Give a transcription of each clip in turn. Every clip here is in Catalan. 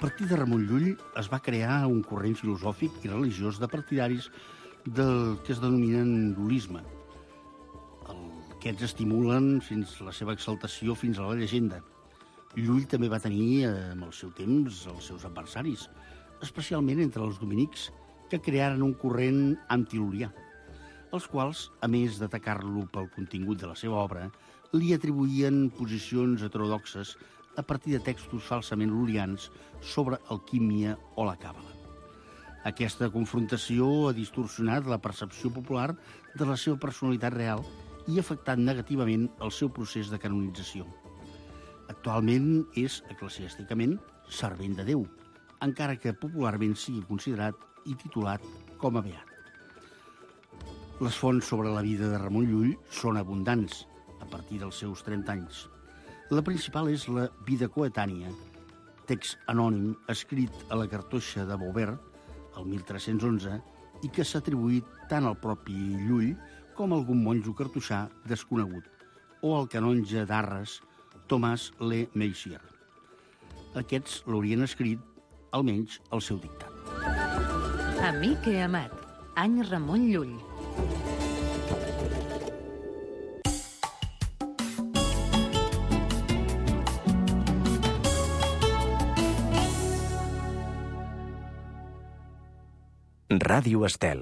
partir de Ramon Llull es va crear un corrent filosòfic i religiós de partidaris del que es denominen l'holisme. Aquests estimulen fins la seva exaltació fins a la llegenda. Llull també va tenir, amb el seu temps, els seus adversaris, especialment entre els dominics, que crearen un corrent antilulià, els quals, a més d'atacar-lo pel contingut de la seva obra, li atribuïen posicions heterodoxes a partir de textos falsament lulians sobre alquímia o la càbala. Aquesta confrontació ha distorsionat la percepció popular de la seva personalitat real i ha afectat negativament el seu procés de canonització. Actualment és, eclesiàsticament, servent de Déu, encara que popularment sigui considerat i titulat com a beat. Les fonts sobre la vida de Ramon Llull són abundants, a partir dels seus 30 anys. La principal és la Vida coetània, text anònim escrit a la cartoixa de Beauvert, el 1311, i que s'ha atribuït tant al propi Llull com a algun monjo cartoixà desconegut, o al canonge d'Arres, Tomàs Le Meissier. Aquests l'haurien escrit, almenys, al seu dictat. Amic he amat, any Ramon Llull. Ràdio Estel.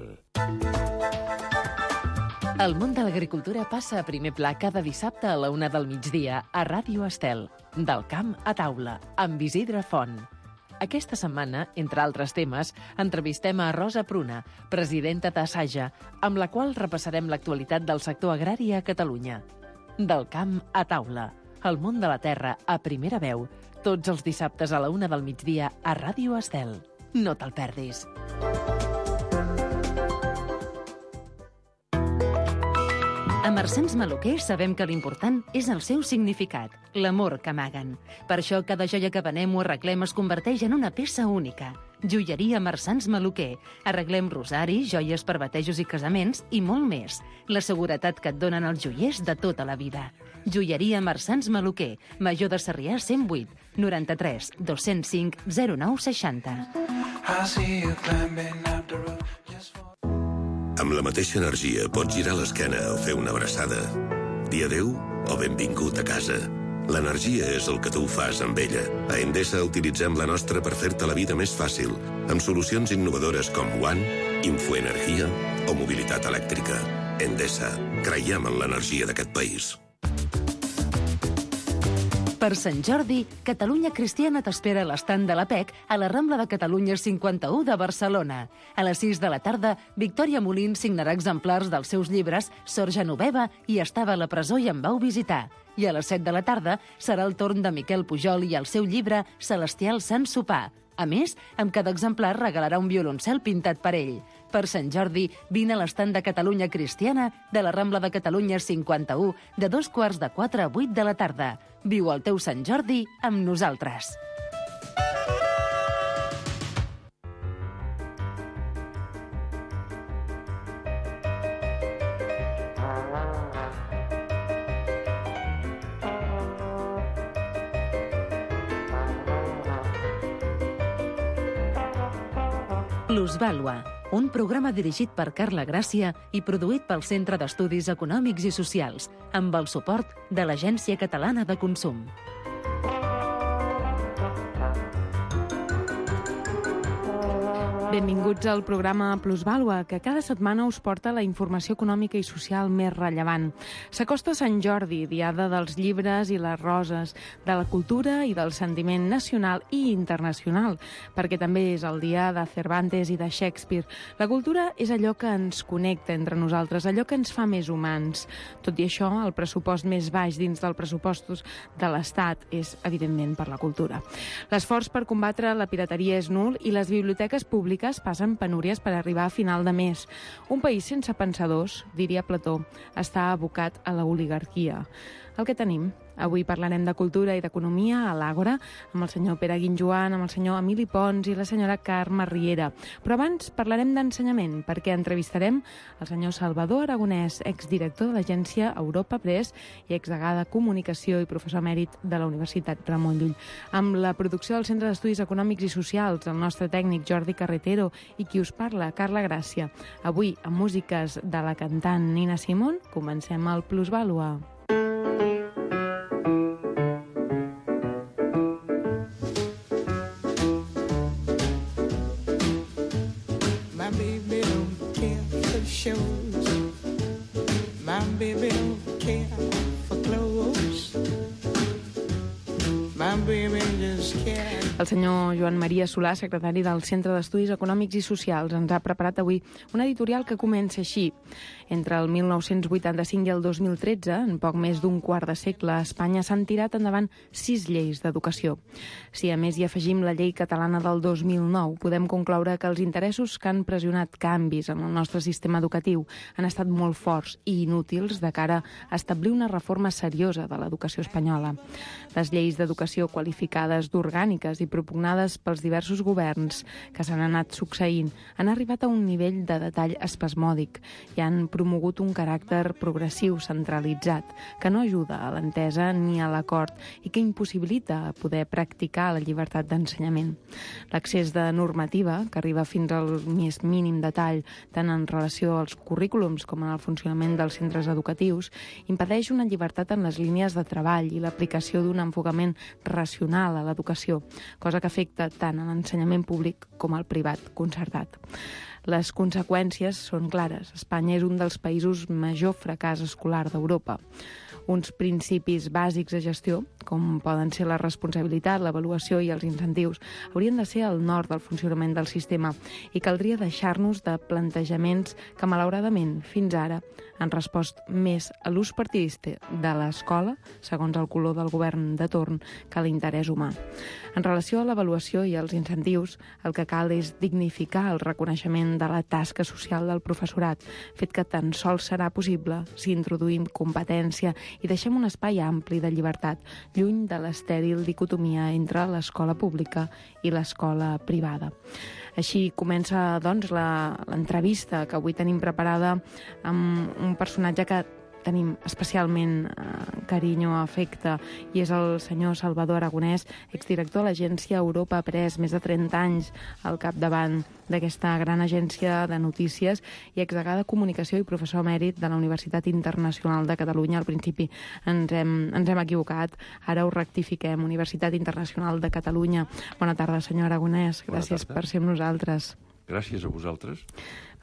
El món de l'agricultura passa a primer pla cada dissabte a la 1 del migdia a Ràdio Estel, del camp a taula, amb Isidre Font. Aquesta setmana, entre altres temes, entrevistem a Rosa Pruna, presidenta d'Assaja, amb la qual repassarem l'actualitat del sector agrari a Catalunya. Del camp a taula, el món de la terra a primera veu, tots els dissabtes a la 1 del migdia a Ràdio Estel. No te'l perdis. A Marsans Maluquer sabem que l'important és el seu significat, l'amor que amaguen. Per això cada joia que venem o arreglem es converteix en una peça única. Joieria Marsans Maluquer. Arreglem rosaris, joies per batejos i casaments i molt més. La seguretat que et donen els joiers de tota la vida. Joieria Marsans Maluquer. Major de Sarrià 108 93 205 09 60. Amb la mateixa energia pots girar l'esquena o fer una abraçada. Dir adéu o benvingut a casa. L'energia és el que tu fas amb ella. A Endesa utilitzem la nostra per fer-te la vida més fàcil, amb solucions innovadores com One, Infoenergia o mobilitat elèctrica. Endesa, creiem en l'energia d'aquest país. Per Sant Jordi, Catalunya Cristiana t'espera a l'estand de la PEC a la Rambla de Catalunya 51 de Barcelona. A les 6 de la tarda, Victòria Molins signarà exemplars dels seus llibres Sor Genoveva i Estava a la presó i em vau visitar. I a les 7 de la tarda serà el torn de Miquel Pujol i el seu llibre Celestial Sant Sopar. A més, amb cada exemplar regalarà un violoncel pintat per ell. Per Sant Jordi, vine a l'estand de Catalunya Cristiana de la Rambla de Catalunya 51 de 3:45 a 8 de la tarda. Viu el teu Sant Jordi amb nosaltres. Plusvàlua, un programa dirigit per Carla Gràcia i produït pel Centre d'Estudis Econòmics i Socials, amb el suport de l'Agència Catalana de Consum. Benvinguts al programa Plusvàlua, que cada setmana us porta la informació econòmica i social més rellevant. S'acosta Sant Jordi, diada dels llibres i les roses, de la cultura i del sentiment nacional i internacional, perquè també és el dia de Cervantes i de Shakespeare. La cultura és allò que ens connecta entre nosaltres, allò que ens fa més humans. Tot i això, el pressupost més baix dins dels pressupostos de l'Estat és, evidentment, per la cultura. L'esforç per combatre la pirateria és nul i les biblioteques públiques passen penúries per arribar a final de mes. Un país sense pensadors, diria Plató, està abocat a la oligarquia. el que tenim. Avui parlarem de cultura i d'economia a l'Àgora, amb el senyor Pere Guinjoan, amb el senyor Emili Pons i la senyora Carme Riera. Però abans parlarem d'ensenyament, perquè entrevistarem el senyor Salvador Aragonès, exdirector de l'agència Europa Press i exdegà de Comunicació i professor emèrit de la Universitat Ramon Llull. Amb la producció del Centre d'Estudis Econòmics i Socials, el nostre tècnic Jordi Carretero i qui us parla, Carla Gràcia. Avui, amb músiques de la cantant Nina Simone, comencem el Plusvàlua. El senyor Joan Maria Solà, secretari del Centre d'Estudis Econòmics i Socials, ens ha preparat avui un editorial que comença així. Entre el 1985 i el 2013, en poc més d'un quart de segle, a Espanya s'han tirat endavant 6 lleis d'educació. Si a més hi afegim la llei catalana del 2009, podem concloure que els interessos que han pressionat canvis en el nostre sistema educatiu han estat molt forts i inútils de cara a establir una reforma seriosa de l'educació espanyola. Les lleis d'educació qualificades d'orgàniques i propugnades pels diversos governs que s'han anat succeint han arribat a un nivell de detall espasmòdic i han promogut un caràcter progressiu centralitzat que no ajuda a l'entesa ni a l'acord i que impossibilita poder practicar la llibertat d'ensenyament. L'accés de normativa, que arriba fins al més mínim detall tant en relació als currículums com en el funcionament dels centres educatius, impedeix una llibertat en les línies de treball i l'aplicació d'un enfocament racional a l'educació, cosa que afecta tant a l'ensenyament públic com al privat concertat. Les conseqüències són clares. Espanya és un dels països major fracàs escolar d'Europa. Uns principis bàsics de gestió, com poden ser la responsabilitat, l'avaluació i els incentius, haurien de ser el nord del funcionament del sistema i caldria deixar-nos de plantejaments que, malauradament, fins ara han respost més a l'ús partidista de l'escola, segons el color del govern de torn, que a l'interès humà. En relació a l'avaluació i els incentius, el que cal és dignificar el reconeixement de la tasca social del professorat, fet que tan sols serà possible si introduïm competència i deixem un espai ampli de llibertat, lluny de l'estèril dicotomia entre l'escola pública i l'escola privada. Així comença, doncs, l'entrevista que avui tenim preparada amb un personatge que tenim especialment carinyo, afecte, i és el senyor Salvador Aragonès, exdirector de l'agència Europa Press, més de 30 anys al capdavant d'aquesta gran agència de notícies i exdegà de Comunicació i professor emèrit de la Universitat Internacional de Catalunya. Al principi ens hem equivocat, ara ho rectifiquem, Universitat Internacional de Catalunya. Bona tarda, senyor Aragonès, gràcies per ser amb nosaltres. Gràcies a vosaltres.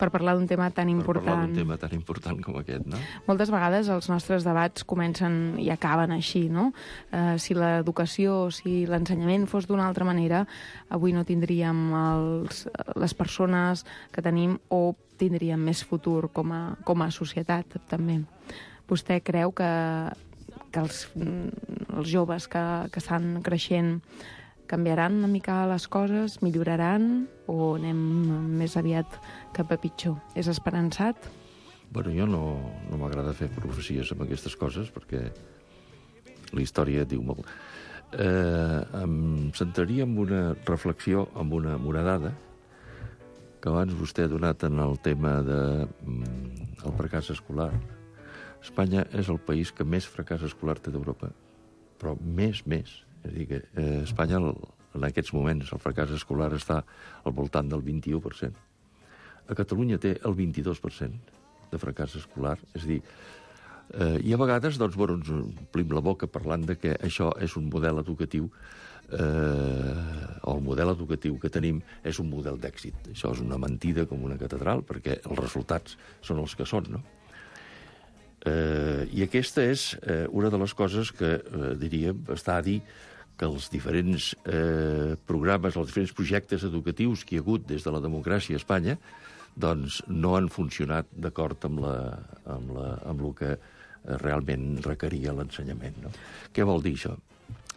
Per parlar d'un tema tan important. Per parlar d'un tema tan important com aquest, no? Moltes vegades els nostres debats comencen i acaben així, no? Si l'educació, si l'ensenyament fos d'una altra manera, avui no tindríem les persones que tenim o tindríem més futur com a societat, també. Vostè creu que els joves que estan creixent canviaran una mica les coses, milloraran o anem més aviat cap a pitjor? És esperançat? Bueno, jo no m'agrada fer profecies amb aquestes coses perquè la història diu molt. Em centraria en una reflexió, amb una dada que abans vostè ha donat en el tema del fracàs escolar. Espanya és el país que més fracàs escolar té d'Europa, però més. És a dir, que a Espanya, en aquests moments, el fracàs escolar està al voltant del 21%. A Catalunya té el 22% de fracàs escolar. És a dir, i a vegades doncs, ens omplim la boca parlant de que això és un model educatiu o el model educatiu que tenim és un model d'èxit. Això és una mentida com una catedral, perquè els resultats són els que són, no? I aquesta és una de les coses que, diríem, està a dir que els diferents programes, els diferents projectes educatius que hi ha hagut des de la democràcia a Espanya, doncs no han funcionat d'acord amb el que realment requeria l'ensenyament, no? Què vol dir això?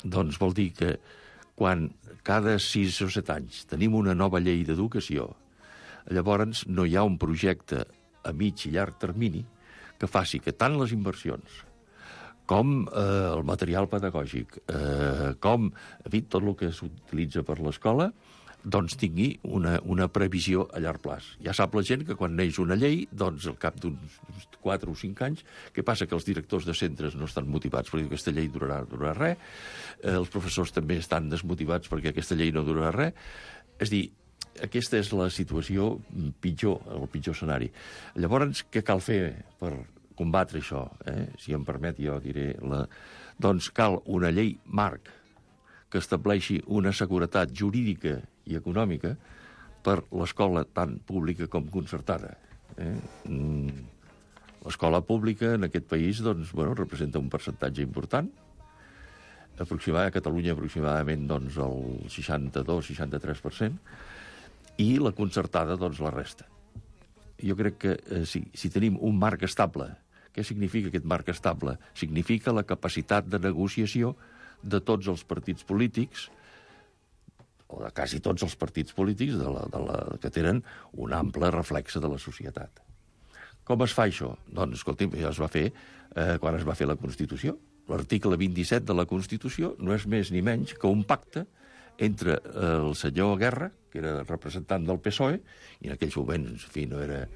Doncs vol dir que quan cada 6 o 7 anys tenim una nova llei d'educació, llavors no hi ha un projecte a mig i llarg termini que faci que tant les inversions com el material pedagògic, com tot el que s'utilitza per l'escola, doncs tingui una previsió a llarg plaç. Ja sap la gent que quan neix una llei, doncs al cap d'uns 4 o 5 anys, què passa? Que els directors de centres no estan motivats perquè aquesta llei durarà res, els professors també estan desmotivats perquè aquesta llei no durarà res. És dir, aquesta és la situació pitjor, el pitjor escenari. Llavors, què cal fer per combatre això? Si em permet, jo diré... Doncs cal una llei marc que estableixi una seguretat jurídica i econòmica per l'escola tant pública com concertada. L'escola pública en aquest país representa un percentatge important. A Catalunya aproximadament el 62-63%, i la concertada la resta. Jo crec que si tenim un marc estable, què significa aquest marc estable? Significa la capacitat de negociació de tots els partits polítics, o de quasi tots els partits polítics que tenen un ample reflexe de la societat. Com es fa això? Doncs, escolti'm, ja es va fer quan es va fer la Constitució. L'article 27 de la Constitució no és més ni menys que un pacte entre el senyor Guerra, que era representant del PSOE, i en aquells moments, en fi, no era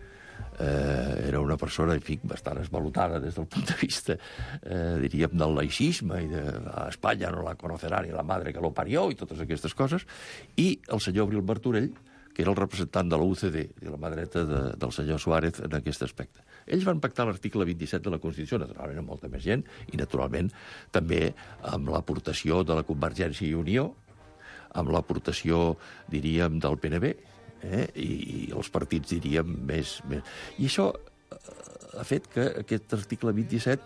una persona, en fi, bastant esvalotada des del punt de vista, diríem, del laïcisme, i a Espanya no la conocerà ni la madre que lo parió, i totes aquestes coses, i el senyor Abril Martorell, que era el representant de la UCD, i la mà dreta del senyor Suárez en aquest aspecte. Ells van pactar l'article 27 de la Constitució, naturalment amb molta més gent, i naturalment també amb l'aportació de la Convergència i Unió, amb l'aportació, diríem, del PNB, i els partits, diríem, més... I això ha fet que aquest article 27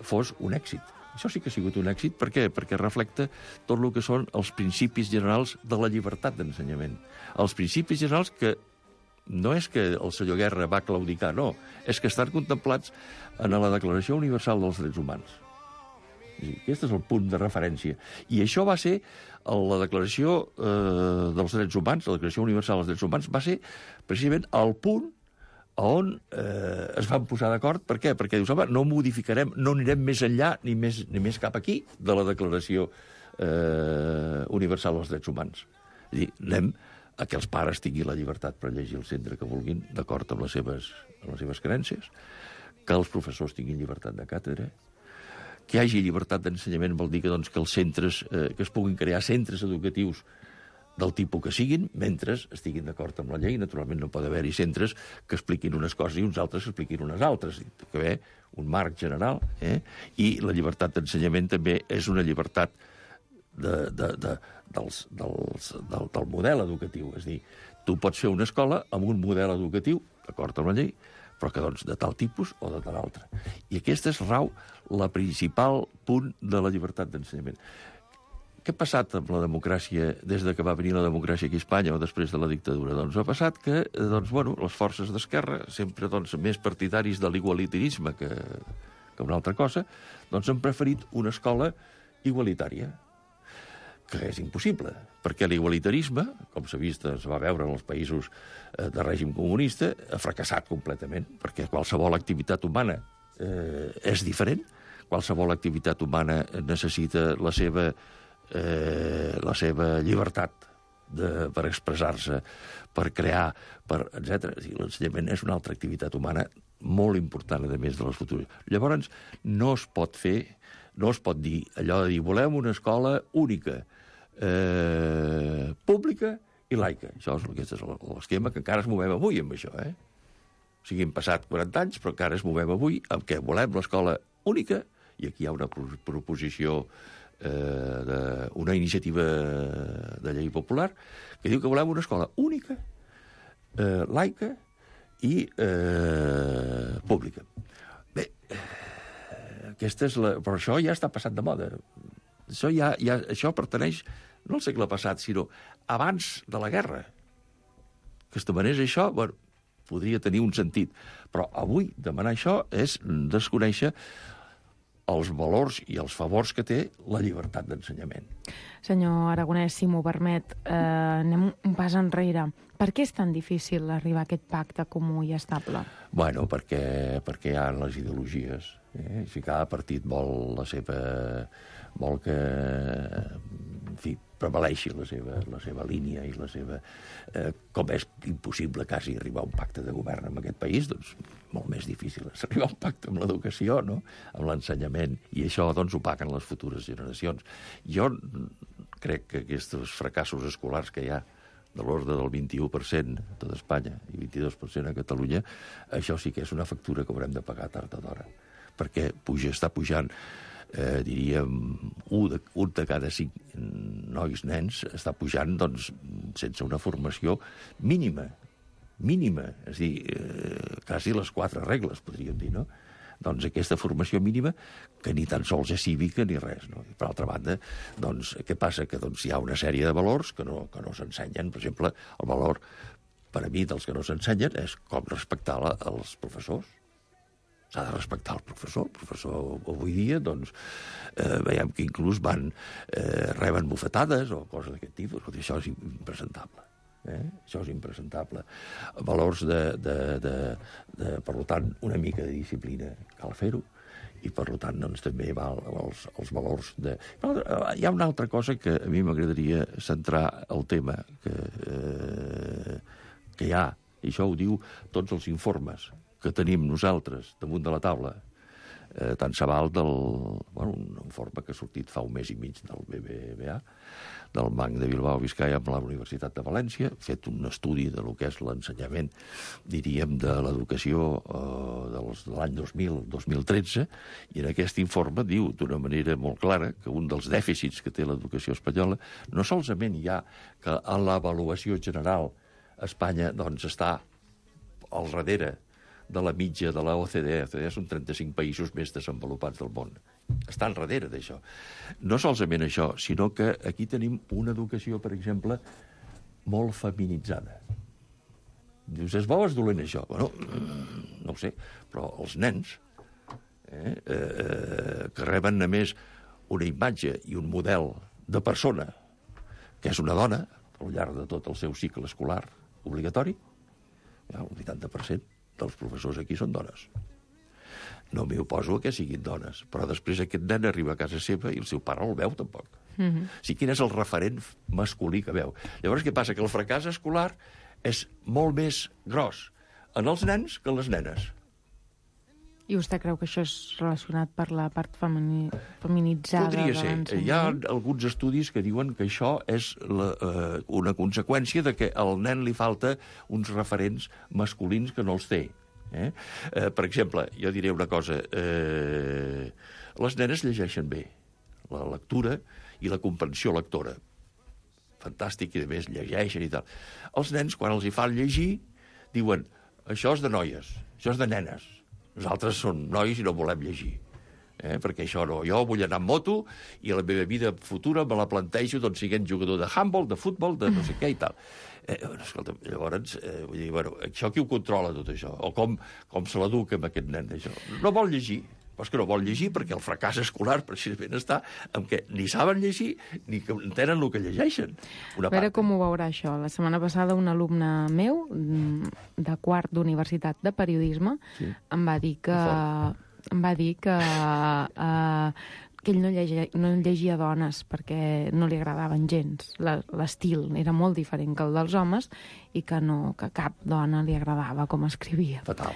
fos un èxit. Això sí que ha sigut un èxit. Per què? Perquè reflecta tot el que són els principis generals de la llibertat d'ensenyament. Els principis generals que no és que el senyor Guerra va claudicar, no, és que estan contemplats en la Declaració Universal dels Drets Humans. Aquest és el punt de referència. I això va ser la Declaració dels Drets Humans, la Declaració Universal dels Drets Humans, va ser precisament el punt on es van posar d'acord. Per què? Perquè dius, home, no modificarem, no anirem més enllà ni més cap aquí de la Declaració Universal dels Drets Humans. És dir, anem a que els pares tinguin la llibertat per llegir el centre que vulguin, d'acord amb les seves creences, que els professors tinguin llibertat de càtedra, que hi hagi llibertat d'ensenyament vol dir que els centres, que es puguin crear centres educatius del tipus que siguin, mentre estiguin d'acord amb la llei. Naturalment no pot haver-hi centres que expliquin unes coses i uns altres que expliquin unes altres. Hi ha d'haver un marc general, i la llibertat d'ensenyament també és una llibertat del model educatiu. És a dir, tu pots fer una escola amb un model educatiu, d'acord amb la llei, però que de tal tipus o de tal altre. I aquesta és rau la principal punt de la llibertat d'ensenyament. Què ha passat amb la democràcia des de que va venir la democràcia aquí a Espanya o després de la dictadura? Doncs ha passat que les forces d'esquerra, sempre més partidaris de l'igualitarisme que una altra cosa, han preferit una escola igualitària, que és impossible, perquè l'igualitarisme, com s'ha vist, es va veure en els països de règim comunista, ha fracassat completament, perquè qualsevol activitat humana és diferent, qualsevol activitat humana necessita la seva llibertat per expressar-se, per crear, etc. L'ensenyament és una altra activitat humana molt important, a més de les futures. Llavors, no es pot dir allò de dir volem una escola única, pública i laica. Això és l'esquema que encara es movem avui amb això. O sigui, hem passat 40 anys, però encara es movem avui amb què volem l'escola única, i aquí hi ha una proposició una iniciativa de llei popular que diu que volem una escola única, laica i pública. Bé, però això ja està passat de moda. Això pertaneix no al segle passat, sinó abans de la guerra. Que es demanés això, podria tenir un sentit. Però avui demanar això és desconèixer els valors i els favors que té la llibertat d'ensenyament. Senyor Aragonès, si m'ho permet, anem un pas enrere. Per què és tan difícil arribar a aquest pacte comú i estable? Bueno, perquè hi ha les ideologies. Si cada partit vol que, en fi, prevaleixi la seva línia i la seva... com és impossible quasi arribar a un pacte de govern en aquest país, doncs molt més difícil és arribar a un pacte amb l'educació, no? Amb l'ensenyament, i això doncs ho paguen les futures generacions. Jo crec que aquests fracassos escolars que hi ha de l'ordre del 21% a tot Espanya i 22% a Catalunya, això sí que és una factura que haurem de pagar tard o d'hora, perquè està pujant, diríem, un de cada 5 nois, nens, està pujant doncs, sense una formació mínima, és a dir, quasi les 4 regles, podríem dir, no? Doncs aquesta formació mínima, que ni tan sols és cívica ni res, no? I per altra banda, doncs, què passa? Que doncs, hi ha una sèrie de valors que no s'ensenyen. Per exemple, el valor, per a mi, dels que no s'ensenyen és com respectar els professors. S'ha de respectar el professor. El professor avui dia, doncs, veiem que inclús reben bufetades o coses d'aquest tipus. Això és impresentable. Això és impresentable. Valors per tant, una mica de disciplina cal fer-ho, i per tant doncs, també val els valors de... Hi ha una altra cosa que a mi m'agradaria centrar el tema que hi ha, i això ho diu tots els informes que tenim nosaltres damunt de la taula, tant se val un informe que ha sortit fa un mes i mig del BBVA, del Banc de Bilbao Vizcaya amb la Universitat de València, fet un estudi de lo que és l'ensenyament, diríem, de l'educació de l'any 2000-2013, i en aquest informe diu d'una manera molt clara que un dels dèficits que té l'educació espanyola no solament hi ha que en l'avaluació general Espanya doncs, està al darrere de la mitja de la OCDE. OCDE són 35 països més desenvolupats del món. Estan darrere d'això. No solament això, sinó que aquí tenim una educació, per exemple, molt feminitzada. Dius, és bo o és dolent això? Bueno, no ho sé, però els nens que reben a més una imatge i un model de persona que és una dona al llarg de tot el seu cicle escolar obligatori, el 80% dels professors aquí són dones. No m'hi oposo a que siguin dones, però després aquest nen arriba a casa seva i el seu pare no el veu, tampoc. O sigui, quin és el referent masculí que veu? Llavors, què passa? Que el fracàs escolar és molt més gros en els nens que en les nenes. I vostè creu que això és relacionat per la part feminitzada de l'ensenyament? Podria ser. Hi ha alguns estudis que diuen que això és una conseqüència de que al nen li falta uns referents masculins que no els té. Per exemple, jo diré una cosa. Les nenes llegeixen bé. La lectura i la comprensió lectora. Fantàstic, i a més llegeixen i tal. Els nens, quan els hi fan llegir, diuen, això és de noies, això és de nenes. Nosaltres som nois i no volem llegir. Perquè això no. Jo vull anar amb moto i la meva vida futura me la plantejo doncs, siguent jugador de handball, de futbol, de no sé què i tal. Escolta, llavors, vull dir, bueno, això qui ho controla, tot això? O com se l'educa amb aquest nen d'això? No vol llegir. Però és que no vol llegir perquè el fracàs escolar precisament està en què ni saben llegir ni que entenen el que llegeixen. A veure com ho veurà això. La setmana passada un alumne meu de quart d'universitat de periodisme em va dir que ell no llegia dones perquè no li agradaven gens. L'estil era molt diferent que el dels homes i que cap dona li agradava com escrivia. Fatal.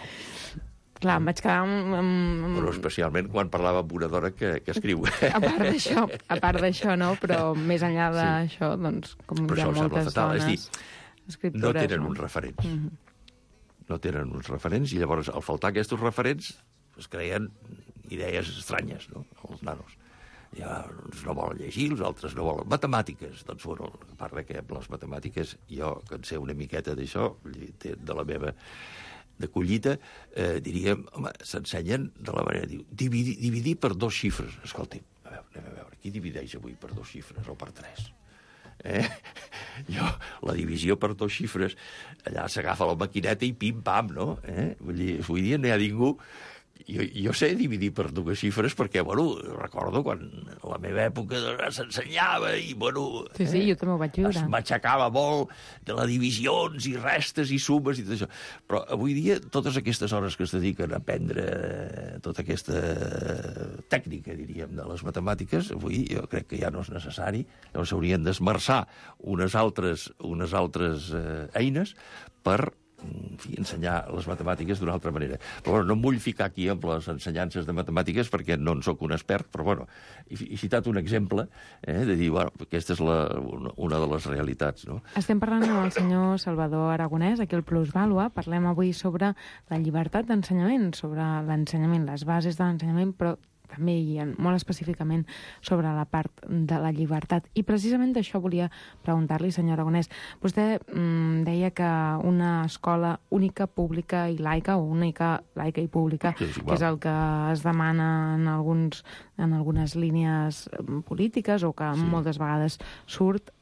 Clar, em vaig quedar Però especialment quan parlava amb una dona que escriu. A part d'això, no? Però més enllà d'això, doncs, com hi ha moltes dones escriptores... No tenen uns referents. No tenen uns referents, i llavors, al faltar aquests referents, es creen idees estranyes, no?, els nanos. Ja no volen llegir, els altres no volen... Matemàtiques, doncs, bueno, a part que amb les matemàtiques, jo, que en sé una miqueta d'això, de la meva... de collita, diríem, home, s'ensenyen de la manera, diu, dividir per 2 xifres. Escolti, anem a veure, qui divideix avui per 2 xifres o per 3? La divisió per 2 xifres, allà s'agafa la maquineta i pim-pam, no? Vull dir, avui dia no hi ha ningú jo sé dividir per dues xifres perquè, bueno, recordo quan a la meva època s'ensenyava i, bueno... Sí, jo també ho vaig viure. Es m'aixecava molt de les divisions i restes i sumes i tot això. Però avui dia, totes aquestes hores que es dediquen a aprendre tota aquesta tècnica, diríem, de les matemàtiques, avui jo crec que ja no és necessari. Llavors s'haurien d'esmerçar unes altres eines per ensenyar les matemàtiques d'una altra manera. Però bueno, no em vull ficar aquí amb les ensenyances de matemàtiques perquè no en sóc un expert, però bueno, he citat un exemple de dir, bueno, aquesta és una de les realitats. No? Estem parlant amb el senyor Salvador Aragonès, aquí al Plusvàlua. Parlem avui sobre la llibertat d'ensenyament, sobre l'ensenyament, les bases de l'ensenyament, però també i molt específicament sobre la part de la llibertat. I precisament d'això volia preguntar-li, senyor Aragonès. Vostè deia que una escola única, pública i laica, o única, laica i pública, que és el que es demana en algunes línies polítiques o que moltes vegades surt,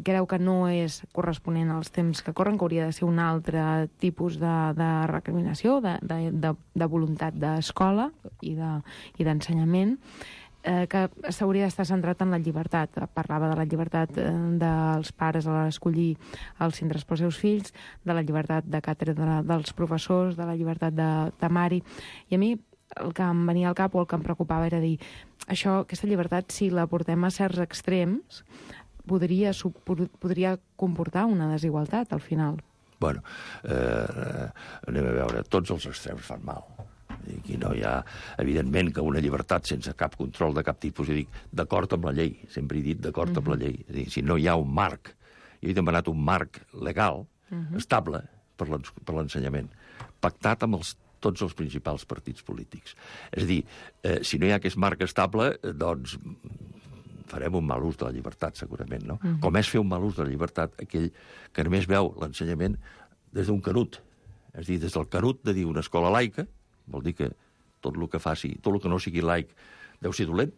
creu que no és corresponent als temps que corren, que hauria de ser un altre tipus de recriminació, de voluntat d'escola i d'ensenyament, que s'hauria d'estar centrat en la llibertat. Parlava de la llibertat dels pares a escollir els centres pels seus fills, de la llibertat de càtedra dels professors, de la llibertat de temari. I a mi el que em venia al cap o el que em preocupava era dir, aquesta llibertat, si la portem a certs extrems, podria comportar una desigualtat al final. Bueno, anem a veure, tots els extrems fan mal. Aquí no hi ha, evidentment, que una llibertat sense cap control de cap tipus, jo dic, d'acord amb la llei, sempre he dit d'acord amb la llei. És a dir, si no hi ha un marc, jo he demanat un marc legal, estable, per l'ensenyament, pactat amb tots els principals partits polítics. És a dir, si no hi ha aquest marc estable, doncs farem un mal ús de la llibertat, segurament, no? Com és fer un mal ús de la llibertat aquell que només veu l'ensenyament des d'un canut. És a dir, des del canut de dir una escola laica, vol dir que tot el que faci, tot el que no sigui laic deu ser dolent.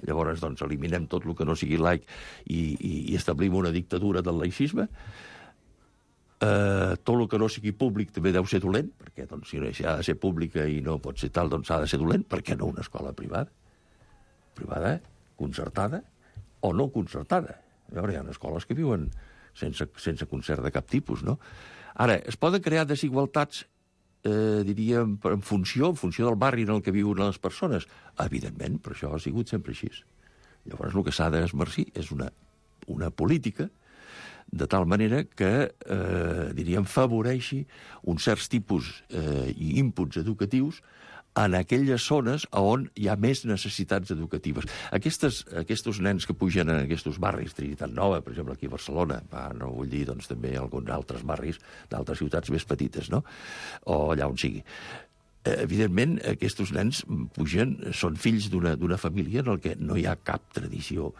Llavors, doncs, eliminem tot el que no sigui laic i establim una dictadura del laïcisme. Tot el que no sigui públic també deu ser dolent, perquè doncs, si ha de ser pública i no pot ser tal, doncs ha de ser dolent. Per què no una escola privada? Privada, concertada o no concertada. A veure, hi ha escoles que viuen sense concert de cap tipus, no? Ara, es poden crear desigualtats, diríem, en funció del barri en el que viuen les persones? Evidentment, però això ha sigut sempre així. Llavors, el que s'ha d'esmercir és una política de tal manera que, diríem, favoreixi uns certs tipus i inputs educatius en aquelles zones on hi ha més necessitats educatives. Aquests nens que pugen en aquests barris, Trinitat Nova, per exemple, aquí a Barcelona, no vull dir doncs, també alguns altres barris d'altres ciutats més petites, no? O allà on sigui. Evidentment, aquests nens pugen, són fills d'una família en què no hi ha cap tradició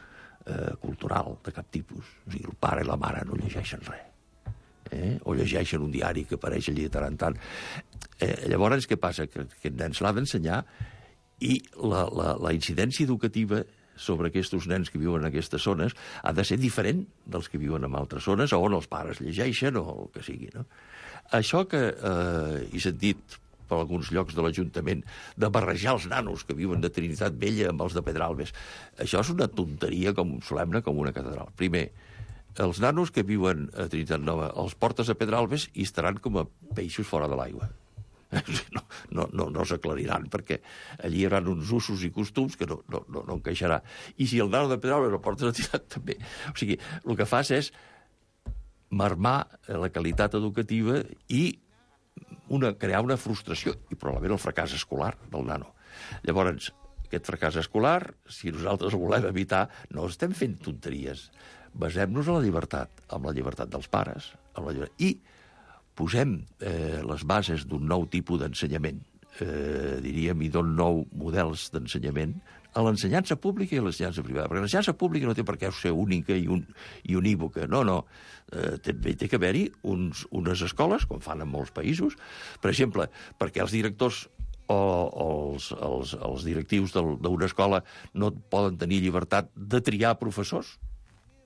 cultural de cap tipus. O sigui, el pare i la mare no llegeixen res. O llegeixen un diari que apareix allí de tant en tant. Llavors, què passa? Que aquest nen se l'ha d'ensenyar i la incidència educativa sobre aquests nens que viuen en aquestes zones ha de ser diferent dels que viuen en altres zones on els pares llegeixen o el que sigui, no? Això que he sentit per alguns llocs de l'Ajuntament de barrejar els nanos que viuen de Trinitat Vella amb els de Pedralbes, això és una tonteria solemne com una catedral. Primer, els nanos que viuen a Trinitat Nova els portes a Pedralbes i estaran com a peixos fora de l'aigua. No s'aclariran, perquè allí hi haurà uns usos i costums que no encaixarà. I si el nano de Pedralbes el portes a Trinitat també. O sigui, el que fas és marmar la qualitat educativa i crear una frustració i probablement el fracàs escolar del nano. Llavors, aquest fracàs escolar, si nosaltres el volem evitar, no estem fent tonteries. Basem-nos en la llibertat, amb la llibertat dels pares, i posem les bases d'un nou tipus d'ensenyament, diríem, i d'un nou models d'ensenyament a l'ensenyança pública i a l'ensenyança privada. Perquè l'ensenyança pública no té per què ser única i unívoca. No. També té que haver-hi unes escoles, com fan en molts països, per exemple, perquè els directors o els directius d'una escola no poden tenir llibertat de triar professors,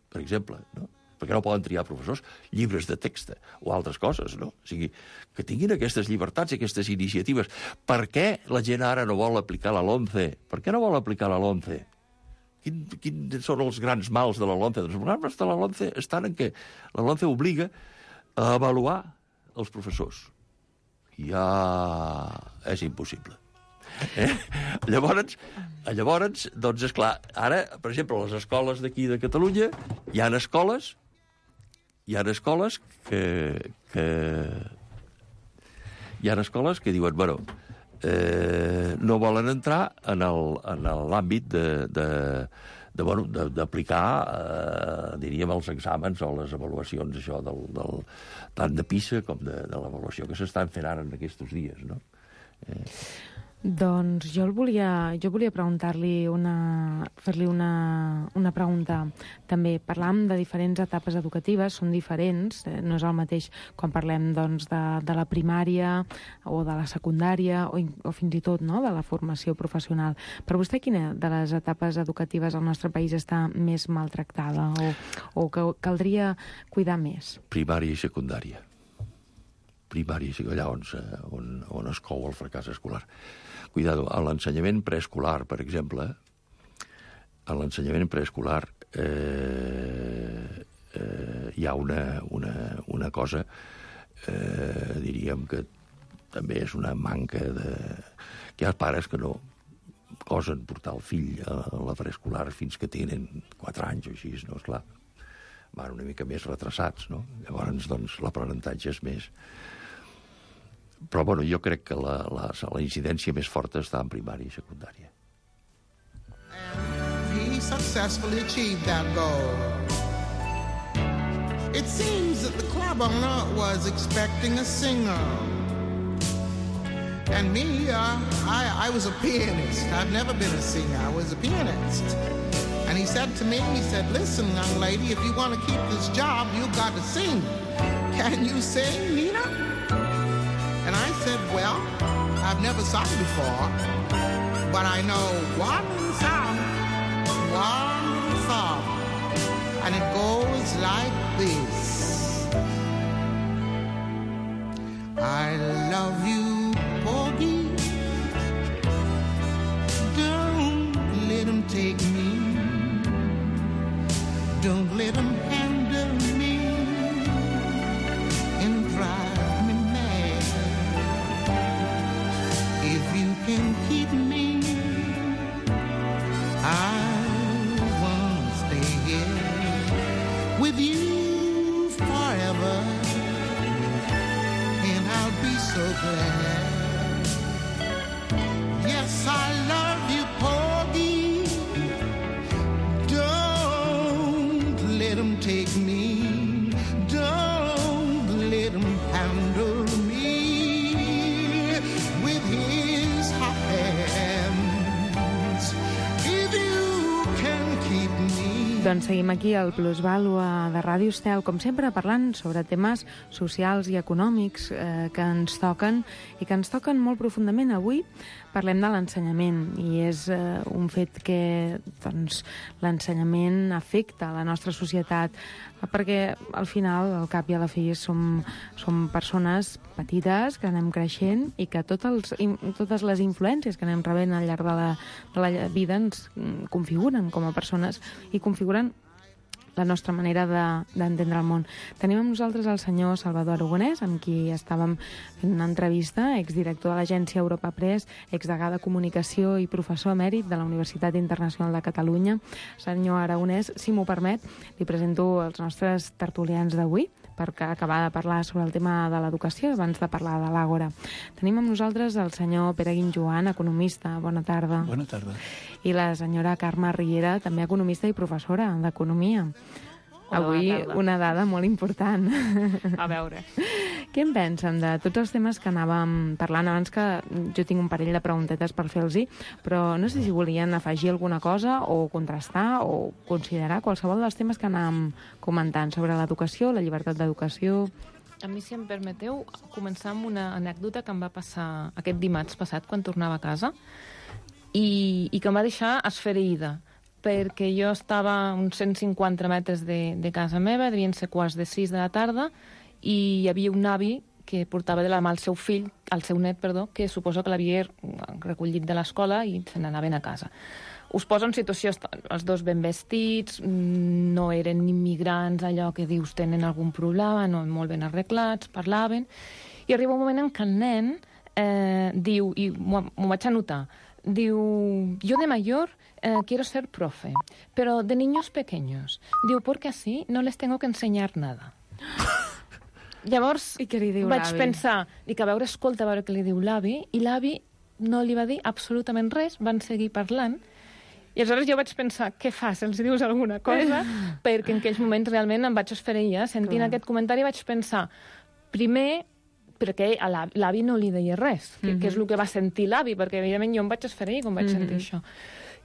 per exemple, no? perquè no poden triar professors, llibres de text o altres coses, no? O sigui, que tinguin aquestes llibertats i aquestes iniciatives. Per què la gent ara no vol aplicar la LOMCE? Per què no vol aplicar la LOMCE? Quins són els grans mals de la LOMCE? Doncs els grans mals de la LOMCE estan en què la LOMCE obliga a avaluar els professors. Ja és impossible. Llavors, doncs, esclar, ara, per exemple, a les escoles d'aquí de Catalunya hi ha escoles que diuen, bueno, no volen entrar en l'àmbit d'aplicar, diríem, els exàmens o les avaluacions, això, tant de PISA com de l'avaluació que s'estan fent ara en aquests dies, no? Doncs jo volia preguntar-li fer-li una pregunta. També parlam de diferents etapes educatives, són diferents, no és el mateix quan parlem doncs, de la primària o de la secundària o fins i tot, no?, de la formació professional. Per vostè, quina de les etapes educatives al nostre país està més maltractada o que caldria cuidar més? Primària i secundària. Primària i secundària, on es cou el fracàs escolar. Cuidado, a l'ensenyament preescolar, per exemple, hi ha una cosa, diríem que també és una manca de... que hi ha pares que no gosen portar el fill a la preescolar fins que tenen 4 anys o així, no? Esclar, van una mica més retrasats, no? Llavors, doncs, l'aprenentatge és més... Però, bueno, jo crec que la incidència més forta està en primària i secundària. He successfully achieved that goal. It seems that the club owner was expecting a singer. And me, I was a pianist. I've never been a singer. I was a pianist. And he said to me, listen, young lady, if you want to keep this job, you've got to sing. Can you sing, Nina? And I said, well, I've never sung before, but I know one song, and it goes like this. I love you, Porgy, don't let him take me, don't let him handle me and drive. Can keep me, I wanna stay here with you forever, and I'll be so glad. Yes, I love you, Porgy. Don't let him take me, don't let him handle me with his Doncs seguim aquí al Plusvàlua de Ràdio Estel, com sempre parlant sobre temes socials i econòmics que ens toquen i que ens toquen molt profundament. Avui parlem de l'ensenyament i és un fet que doncs, l'ensenyament afecta la nostra societat perquè al final, al cap i a la fi, som persones petites que anem creixent i que totes les influències que anem rebent al llarg de la vida ens configuren com a persones i configuren la nostra manera d'entendre el món. Tenim amb nosaltres el senyor Salvador Aragonès, amb qui estàvem fent una entrevista, exdirector de l'agència Europa Press, exdegà de Comunicació i professor emèrit de la Universitat Internacional de Catalunya. Senyor Aragonès, si m'ho permet, li presento els nostres tertulians d'avui, per acabar de parlar sobre el tema de l'educació abans de parlar de l'Àgora. Tenim amb nosaltres el senyor Pere Guinjoan, economista. Bona tarda. Bona tarda. I la senyora Carme Riera, també economista i professora d'Economia. Avui una dada molt important. A veure. Què en pensen de tots els temes que anàvem parlant abans, que jo tinc un parell de preguntetes per fer-los-hi, però no sé si volien afegir alguna cosa o contrastar o considerar qualsevol dels temes que anàvem comentant sobre l'educació, la llibertat d'educació. A mi, si em permeteu, començar amb una anècdota que em va passar aquest dimarts passat quan tornava a casa i que em va deixar esfereïda, perquè jo estava a uns 150 metres de casa meva, devien ser quarts de 6 de la tarda, i hi havia un avi que portava de la mà el seu fill, el seu net, perdó, que suposo que l'havia recollit de l'escola i se n'anaven a casa. Us poso en situació, els dos ben vestits, no eren immigrants, allò que dius tenen algun problema, no, molt ben arreglats, parlaven, i arriba un moment en què el nen diu, i m'ho vaig anotar, diu, yo de mayor quiero ser profe, pero de niños pequeños. Diu, porque así no les tengo que enseñar nada. Llavors, I què li diu vaig l'avi? pensar, dic, a veure, escolta, a veure què li diu l'avi, i l'avi no li va dir absolutament res, van seguir parlant, i aleshores jo vaig pensar, què fas, els dius alguna cosa? Perquè en aquells moments realment em vaig esfereir, sentint aquest comentari vaig pensar, primer, perquè a l'avi no li deia res, que és el que va sentir l'avi, perquè evidentment jo em vaig esfereir quan vaig sentir això.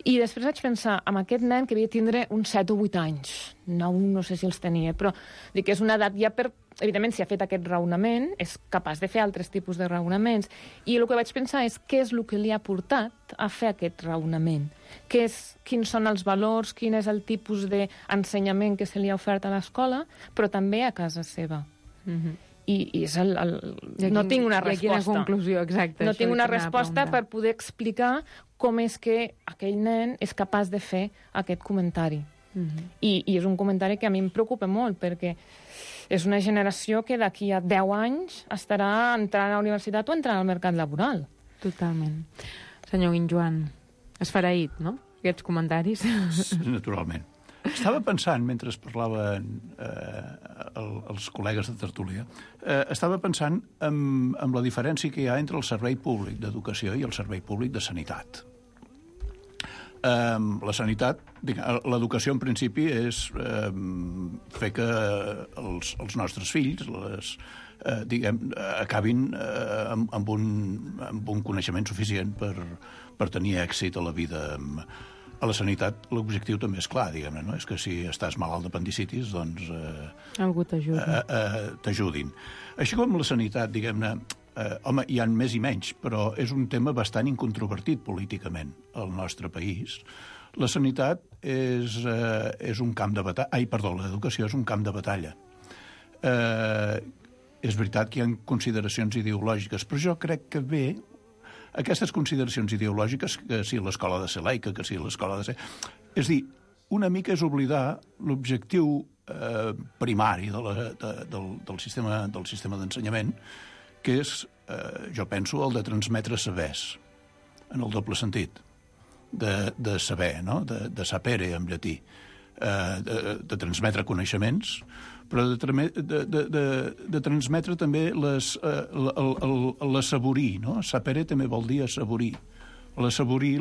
I després vaig pensar, amb aquest nen que havia de tindre uns 7 o 8 anys, no sé si els tenia, però dic que és una edat ja per... Evidentment, si ha fet aquest raonament, és capaç de fer altres tipus de raonaments. I el que vaig pensar és què és el que li ha portat a fer aquest raonament. Quins són els valors, quin és el tipus d'ensenyament que se li ha ofert a l'escola, però també a casa seva. I és no tinc una resposta. I quina conclusió, exacte. No tinc una resposta per poder explicar com és que aquell nen és capaç de fer aquest comentari. I és un comentari que a mi em preocupa molt, perquè és una generació que d'aquí a 10 anys estarà entrant a la universitat o entrant al mercat laboral. Totalment. Senyor Guinjoan, esfereït, no?, aquests comentaris. Naturalment. Estava pensant, mentre parlaven els col·legues de tertúlia, estava pensant en la diferència que hi ha entre el servei públic d'educació i el servei públic de sanitat. La sanitat, l'educació en principi és fer que els nostres fills acabin amb un coneixement suficient per tenir èxit a la vida. A la sanitat l'objectiu també és clar, diguem-ne, no? És que si estàs malalt d'apendicitis, doncs... Algú t'ajuda. T'ajudin. Així com la sanitat, diguem-ne, home, hi ha més i menys, però és un tema bastant incontrovertit políticament al nostre país. La sanitat és un camp de batalla... l'educació és un camp de batalla. És veritat que hi ha consideracions ideològiques, però jo crec que aquestes consideracions ideològiques, que si l'escola ha de ser laica, que si l'escola ha de ser... És dir, una mica és oblidar l'objectiu primari del sistema d'ensenyament, que és, jo penso, el de transmetre sabers, en el doble sentit, de saber, no?, de sapere en llatí, de transmetre coneixements, però de transmetre també l'assaborir, no? Sapere també vol dir assaborir. L'assaborir,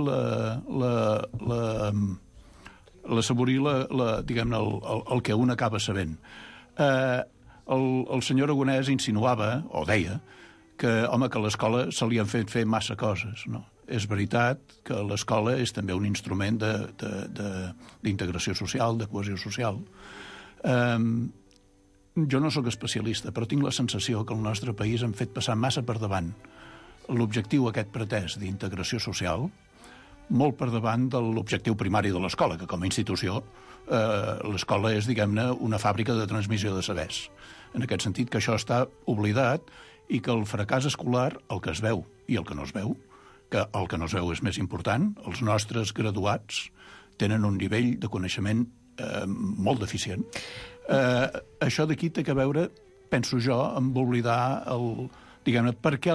diguem-ne, el que un acaba sabent. El senyor Aragonès insinuava, o deia, que, home, que a l'escola se li han fet fer massa coses, no? És veritat que l'escola és també un instrument d'integració social, de cohesió social. Jo no sóc especialista, però tinc la sensació que al nostre país han fet passar massa per davant l'objectiu aquest pretès d'integració social, molt per davant de l'objectiu primari de l'escola, que com a institució l'escola és, diguem-ne, una fàbrica de transmissió de sabers. En aquest sentit, que això està oblidat i que el fracàs escolar, el que es veu i el que no es veu, que el que no es veu és més important, els nostres graduats tenen un nivell de coneixement molt deficient. Això d'aquí té que veure, penso jo, amb oblidar diguem-ne, per què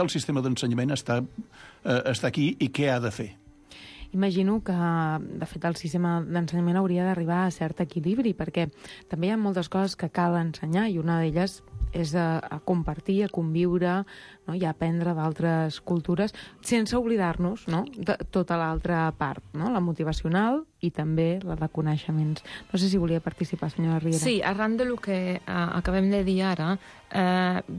el sistema d'ensenyament està aquí i què ha de fer. Imagino que, de fet, el sistema d'ensenyament hauria d'arribar a cert equilibri, perquè també hi ha moltes coses que cal ensenyar i una d'elles és a compartir, a conviure, no? I a aprendre d'altres cultures, sense oblidar-nos, no?, de tota l'altra part, no?, la motivacional i també la de coneixements. No sé si volia participar, senyora Riera. Sí, arran del que acabem de dir ara,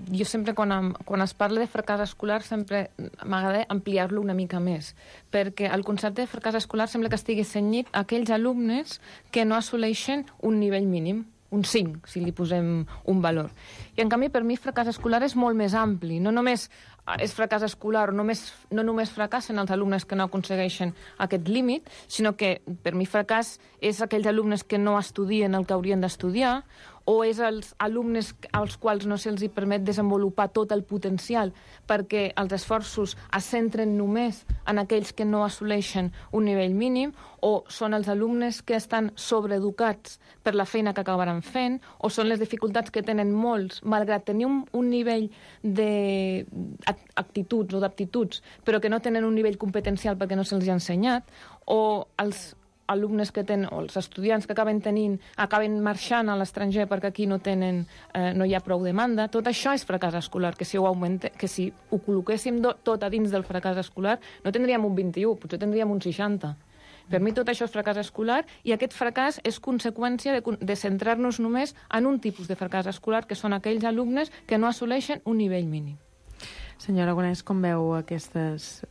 jo sempre, quan es parla de fracàs escolar, sempre m'agrada ampliar-lo una mica més, perquè el concepte de fracàs escolar sembla que estigui cenyit a aquells alumnes que no assoleixen un nivell mínim, un 5, si li posem un valor. I, en canvi, per mi, fracàs escolar és molt més ampli. No només és fracàs escolar, no només fracassen els alumnes que no aconsegueixen aquest límit, sinó que per mi fracàs és aquells alumnes que no estudien el que haurien d'estudiar, o és els alumnes als quals no se'ls permet desenvolupar tot el potencial perquè els esforços es centren només en aquells que no assoleixen un nivell mínim, o són els alumnes que estan sobreeducats per la feina que acabaran fent, o són les dificultats que tenen molts, malgrat tenir un nivell d'actituds o d'aptituds, però que no tenen un nivell competencial perquè no se'ls ha ensenyat, o els alumnes que tenen, o els estudiants que acaben marxant a l'estranger perquè aquí no hi ha prou demanda. Tot això és fracàs escolar, que si ho col·loquéssim tot a dins del fracàs escolar no tindríem un 21, potser tindríem un 60. Per mi tot això és fracàs escolar, i aquest fracàs és conseqüència de centrar-nos només en un tipus de fracàs escolar, que són aquells alumnes que no assoleixen un nivell mínim. Senyor Aragonès, com veu aquestes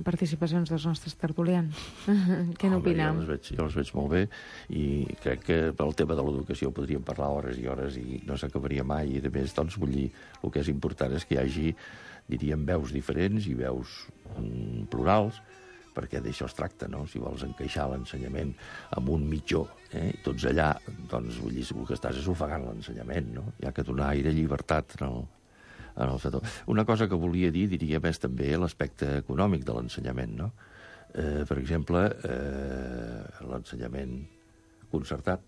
participacions dels nostres tertulians? Què n'opinem? Jo les veig molt bé, i crec que pel tema de l'educació podríem parlar hores i hores i no s'acabaria mai, i a més, doncs, vull dir, el que és important és que hi hagi, diríem, veus diferents i veus plurals, perquè d'això es tracta, no? Si vols encaixar l'ensenyament amb un mitjó, i tots allà, doncs, vull dir, el que estàs és ofegant l'ensenyament, no? Hi ha que donar aire llibertat en el sector. Una cosa que volia dir, diríem, és també l'aspecte econòmic de l'ensenyament, no? Per exemple, l'ensenyament concertat,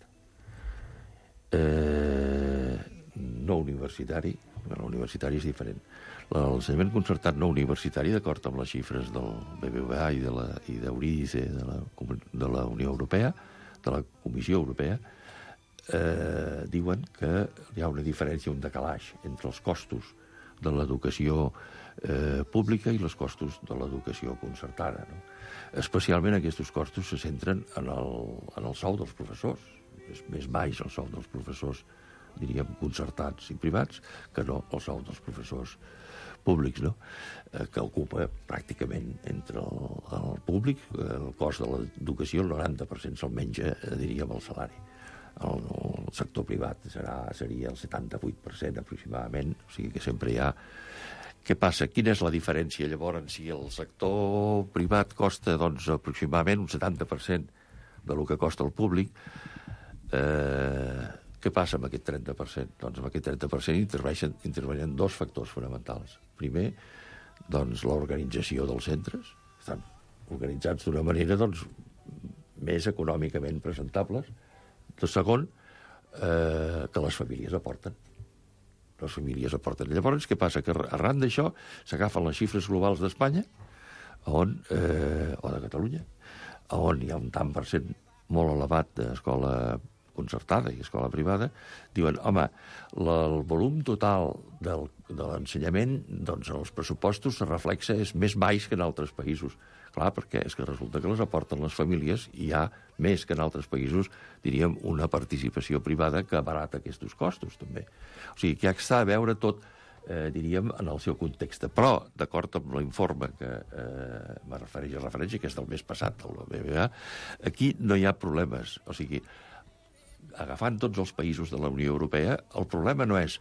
no universitari, l'universitari és diferent. L'ensenyament concertat no universitari, d'acord amb les xifres del BBVA i d'Euridice de la Unió Europea, de la Comissió Europea, diuen que hi ha una diferència, un decalaix entre els costos de l'educació pública i els costos de l'educació concertada, no? Especialment aquests costos se centren en el sou dels professors. És més baix el sou dels professors, diríem, concertats i privats, que no el sou dels professors públics, no? Que ocupa pràcticament entre el públic, el cost de l'educació, el 90% se'l menja, diríem, el salari. El sector privat seria el 78% aproximadament, o sigui que sempre hi ha... Què passa? Quina és la diferència, llavors, si el sector privat costa, doncs, aproximadament un 70% del que costa el públic? Què passa amb aquest 30%? Doncs amb aquest 30% intervenen dos factors fonamentals. Primer, doncs, l'organització dels centres. Estan organitzats d'una manera, doncs, més econòmicament presentables. El segon, que les famílies aporten. Les famílies aporten. Llavors, què passa? Que arran d'això s'agafen les xifres globals d'Espanya o de Catalunya, on hi ha un tant per cent molt elevat d'escola concertada i escola privada, diuen, home, el volum total de l'ensenyament, doncs, en els pressupostos se reflexa, és més baix que en altres països. Clar, perquè és que resulta que les aporten les famílies i hi ha més que en altres països, diríem, una participació privada que abarata aquests costos, també. O sigui, que està a veure tot, diríem, en el seu context. Però, d'acord amb l'informe que me referència, que és del mes passat, del BBVA, aquí no hi ha problemes. O sigui, agafant tots els països de la Unió Europea, el problema no és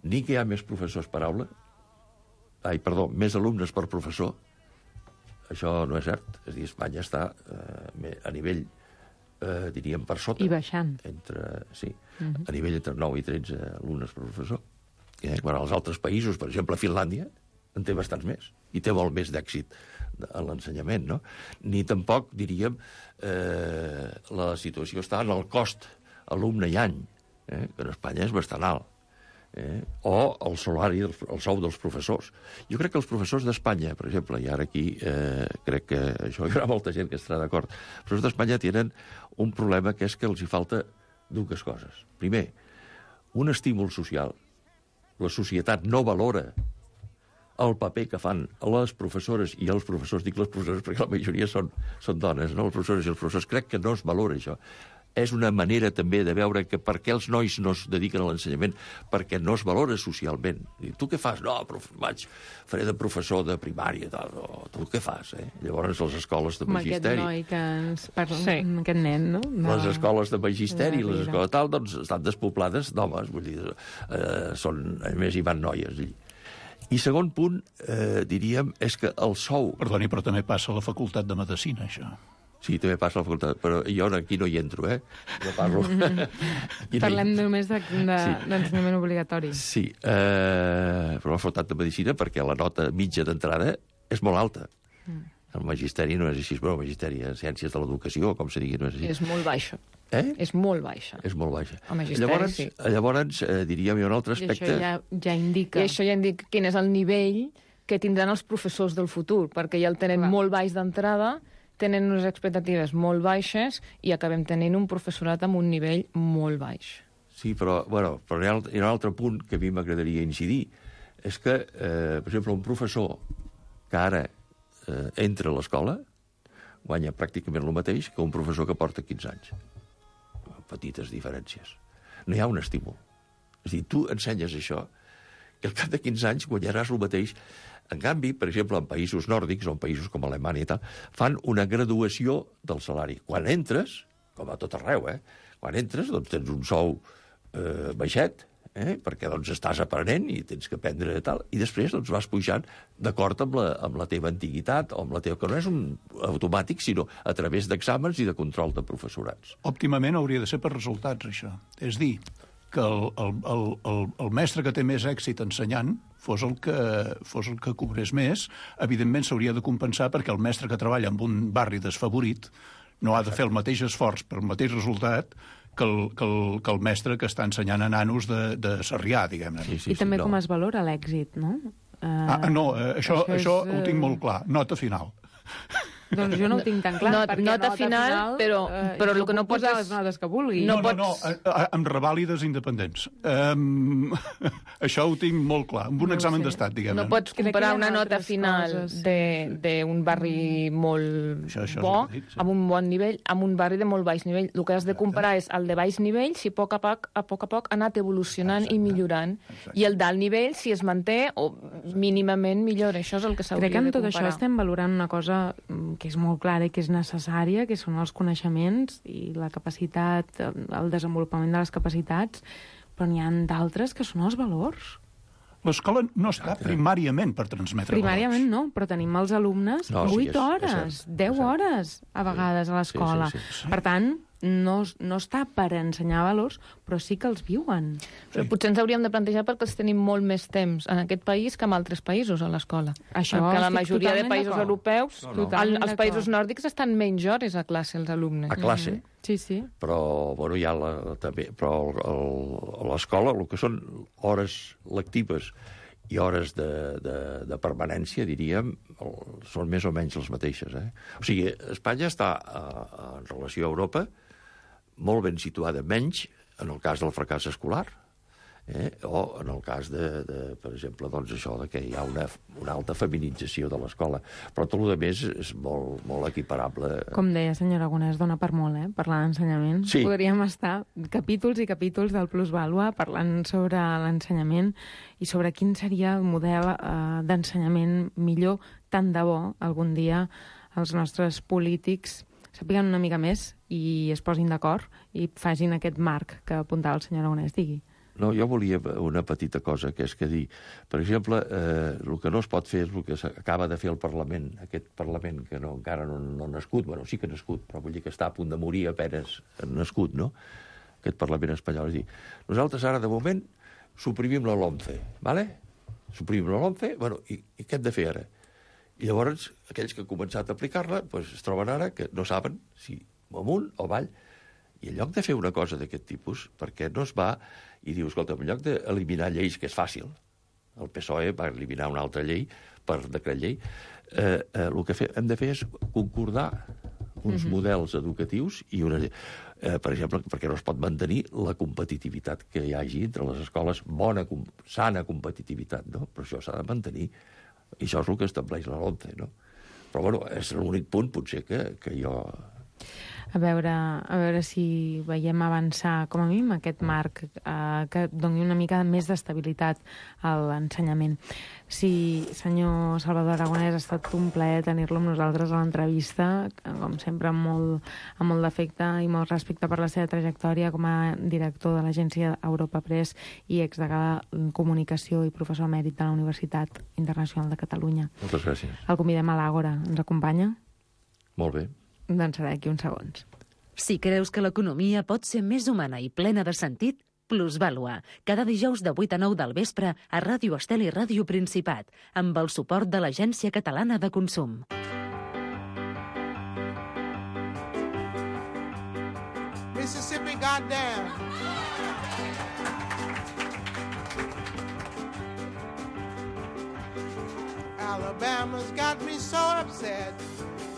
ni que hi ha més professors per aula, més alumnes per professor. Això no és cert. És a dir, Espanya està a nivell, diríem, per sota. I baixant. A nivell entre 9 i 13 alumnes per professor. Quan als altres països, per exemple, Finlàndia, en té bastants més. I té molt més d'èxit en l'ensenyament, no? Ni tampoc, diríem, la situació està en el cost alumne i any, que en Espanya és bastant alt. O el salari, el sou dels professors. Jo crec que els professors d'Espanya, per exemple, i ara aquí crec que això hi haurà molta gent que estarà d'acord, els professors d'Espanya tenen un problema, que és que els hi falta dues coses. Primer, un estímul social. La societat no valora el paper que fan les professores i els professors, dic les professores perquè la majoria són dones, no? Els professors i els professors, crec que no es valora això. És una manera també de veure que per què els nois no es dediquen a l'ensenyament, perquè no es valora socialment. I tu què fas? No, faré de professor de primària, tal. No, tu què fas? Llavors les escoles de magisteri... Amb aquest noi que ens parla, aquest nen, no? Les escoles de magisteri, les escoles tal, doncs estan despoblades d'homes, vull dir, a més hi van noies allí. I segon punt, diríem, és que el sou... Perdoni, però també passa a la Facultat de Medicina, això. Sí, també passa a la facultat, però jo aquí no hi entro, no parlo. Parlem només d'ensenyament obligatori. Sí, però la facultat de Medicina, perquè la nota mitja d'entrada és molt alta. El magisteri no és així, però el magisteri en ciències de l'educació, com se digui, no és així. És molt baixa. És molt baixa. És molt baixa. El magisteri, sí. Llavors, diríem, hi ha un altre aspecte... I això ja indica... I això ja indica quin és el nivell que tindran els professors del futur, perquè ja el tenen molt baix d'entrada, tenen unes expectatives molt baixes i acabem tenint un professorat amb un nivell molt baix. Sí, però hi ha un altre punt que a mi m'agradaria incidir. És que, per exemple, un professor que ara entra a l'escola guanya pràcticament el mateix que un professor que porta 15 anys. Petites diferències. No hi ha un estímul. És a dir, tu ensenyes això i al cap de 15 anys guanyaràs el mateix. En canvi, per exemple, en països nòrdics o en països com Alemanya i tal, fan una graduació del salari. Quan entres, com a tot arreu, quan entres, doncs tens un sou baixet, perquè doncs estàs aprenent i tens que aprendre tal, i després doncs vas pujant d'acord amb la teva antiguitat o amb la teva... que no és un automàtic, sinó a través d'exàmens i de control de professorats. Òptimament hauria de ser per resultats, això. És dir, que el mestre que té més èxit ensenyant fos el que cobrés més. Evidentment s'hauria de compensar perquè el mestre que treballa en un barri desfavorit no ha de fer el mateix esforç per el mateix resultat que el mestre que està ensenyant a nanos de Sarrià, diguem-ne. I també com es valora l'èxit, no? No, això ho tinc molt clar. Nota final. Doncs jo no ho tinc tan clar, perquè nota final, però el que no pots posar les notes que vulgui. No, amb revàlides independents. Això ho tinc molt clar, amb un examen d'estat, diguem-ne. No pots comparar una nota final d'un barri molt bo, amb un bon nivell, amb un barri de molt baix nivell. El que has de comparar és el de baix nivell, si a poc a poc ha anat evolucionant i millorant, i el d'alt nivell, si es manté o mínimament millora. Això és el que s'hauria de comparar. Crec que en tot això estem valorant una cosa que és molt clara i que és necessària, que són els coneixements i la capacitat, el desenvolupament de les capacitats, però n'hi ha d'altres que són els valors. L'escola no està primàriament per transmetre primàriament valors. No, però tenim els alumnes 8 hores, 10 hores a vegades a l'escola. Per tant, no està per ensenyar valors, però sí que els viuen. Però potser ens hauríem de plantejar perquè els tenim molt més temps en aquest país que en altres països a l'escola. Perquè la majoria de països europeus, els països nòrdics estan menys hores a classe els alumnes. A classe. Sí. Però, hi ha també, però a l'escola, el que són hores lectives i hores de permanència, diríem, són més o menys les mateixes. O sigui, Espanya està, en relació a Europa, molt ben situada, menys en el cas del fracàs escolar, o en el cas per exemple, doncs això, que hi ha una alta feminització de l'escola. Però tot el més és molt, molt equiparable. Com deia, senyor Aragonès, dona per molt, parlar d'ensenyament. Sí. Podríem estar capítols i capítols del Plusvàlua parlant sobre l'ensenyament i sobre quin seria el model d'ensenyament millor, tant de bo algun dia els nostres polítics sàpiguen una mica més i es posin d'acord i facin aquest marc que apuntava el senyor Aragonès. Digui. No, jo volia una petita cosa, que és que dir, per exemple, el que no es pot fer és el que acaba de fer el Parlament, aquest Parlament que encara no ha nascut, bueno, sí que ha nascut, però vull dir que està a punt de morir apenes nascut, no?, aquest Parlament espanyol. És dir, nosaltres ara, de moment, suprimim la LOMCE, ¿vale? Suprimim la LOMCE, bueno, i què hem de fer ara? I llavors, aquells que han començat a aplicar-la, doncs es troben ara que no saben si amunt o avall. I en lloc de fer una cosa d'aquest tipus, perquè no es va i diu, escolta, en lloc d'eliminar lleis, que és fàcil, el PSOE va eliminar una altra llei per decret llei, el que hem de fer és concordar uns models educatius i per exemple, perquè no es pot mantenir la competitivitat que hi hagi entre les escoles, sana competitivitat, no? Però això s'ha de mantenir. I això és el que estableix la LOMCE, no? Però, bueno, és l'únic punt, potser, que jo... A veure si veiem avançar, com a mínim, aquest marc que doni una mica més d'estabilitat a l'ensenyament. Sí, senyor Salvador Aragonès, ha estat un plaer tenir-lo amb nosaltres a l'entrevista, com sempre amb molt d'afecte i molt respecte per la seva trajectòria com a director de l'agència Europa Press i exdegà en Comunicació i professor emèrit de la Universitat Internacional de Catalunya. Moltes gràcies. El convidem a l'Àgora. Ens acompanya? Molt bé. Doncs serà d'aquí uns segons. Si creus que l'economia pot ser més humana i plena de sentit, Plusvàlua, cada dijous de 8 a 9 del vespre a Ràdio Estel i Ràdio Principat, amb el suport de l'Agència Catalana de Consum. Mississippi, goddamn. Alabama's got me so upset.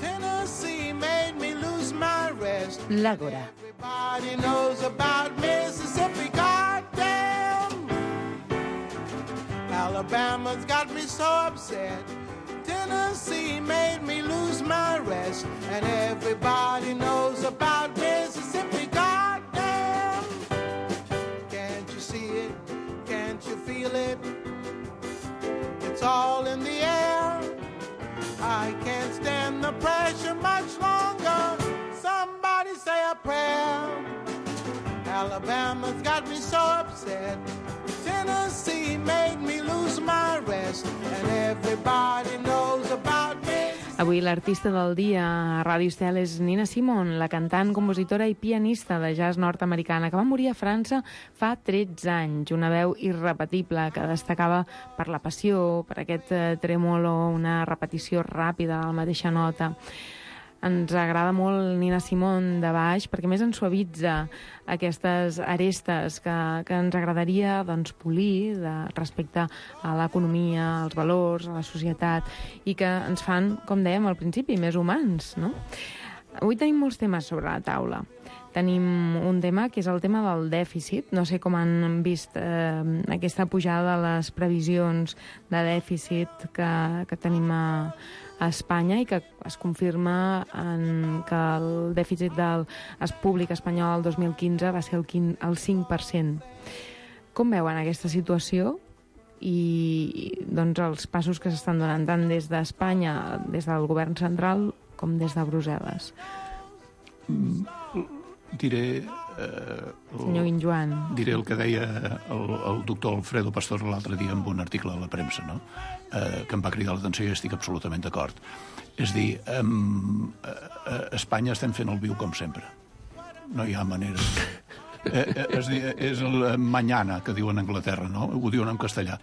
Tennessee made me lose my rest. L'Àgora. Everybody knows about Mississippi, goddamn. Alabama's got me so upset. Tennessee made me lose my rest. And everybody knows about Mississippi, goddamn. Can't you see it? Can't you feel it? It's all in the air. I can't stand the pressure much longer. Somebody say a prayer. Alabama's got me so upset. Tennessee made me lose my rest. And everybody knows about me. Avui l'artista del dia a Ràdio Estel és Nina Simone, la cantant, compositora i pianista de jazz nord-americana que va morir a França fa 13 anys. Una veu irrepetible que destacava per la passió, per aquest trèmolo, una repetició ràpida a la mateixa nota. Ens agrada molt Nina Simone de baix perquè més ens suavitza aquestes arestes que ens agradaria polir respecte a l'economia, als valors, a la societat i que ens fan, com dèiem al principi, més humans, no? Avui tenim molts temes sobre la taula. Tenim un tema que és el tema del dèficit. No sé com han vist aquesta pujada de les previsions de dèficit que tenim a Espanya i que es confirma que el dèficit del públic espanyol el 2015 va ser el 5%. Com veuen aquesta situació i els passos que s'estan donant tant des d'Espanya, des del govern central, com des de Brussel·les? Diré... Senyor Guinjoan. Diré el que deia el doctor Alfredo Pastor l'altre dia en un article a la premsa, no? Que em va cridar l'atenció i estic absolutament d'acord. És dir, a Espanya estem fent el viu com sempre. No hi ha manera. És dir, és el mañana, que diuen a Anglaterra, no? Ho diuen en castellà.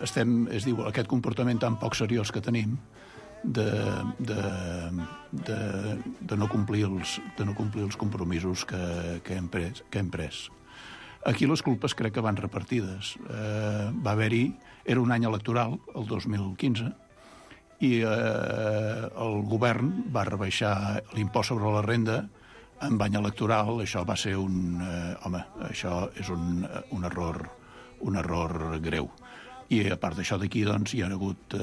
Es diu, aquest comportament tan poc seriós que tenim de no complir els compromisos que hem pres. Aquí les culpes crec que van repartides. Va haver-hi... Era un any electoral, el 2015, i el govern va rebaixar l'impost sobre la renda en any electoral. Això va ser això és un error greu. I a part d'això d'aquí, doncs, hi ha hagut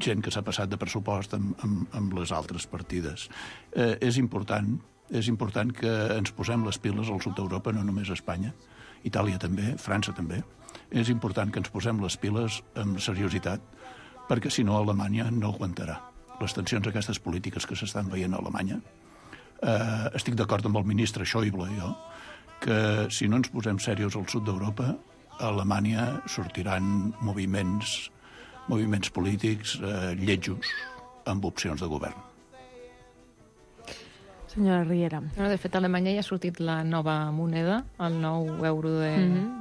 gent que s'ha passat de pressupost amb les altres partides. És important que ens posem les piles al sud d'Europa, no només a Espanya, Itàlia també, França també. És important que ens posem les piles amb seriositat, perquè si no Alemanya no aguantarà. Les tensions aquestes polítiques que s'estan veient a Alemanya, estic d'acord amb el ministre Schäuble, que si no ens posem serios al sud d'Europa, a Alemanya sortiran moviments polítics lletjos amb opcions de govern. Senyora Riera. De fet, a Alemanya ja ha sortit la nova moneda, el nou euro de...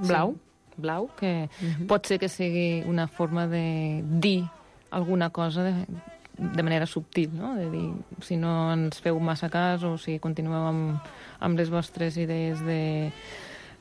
Blau. Blau, que pot ser que sigui una forma de dir alguna cosa de manera subtil, no? De dir, si no ens feu massa cas o si continueu amb les vostres idees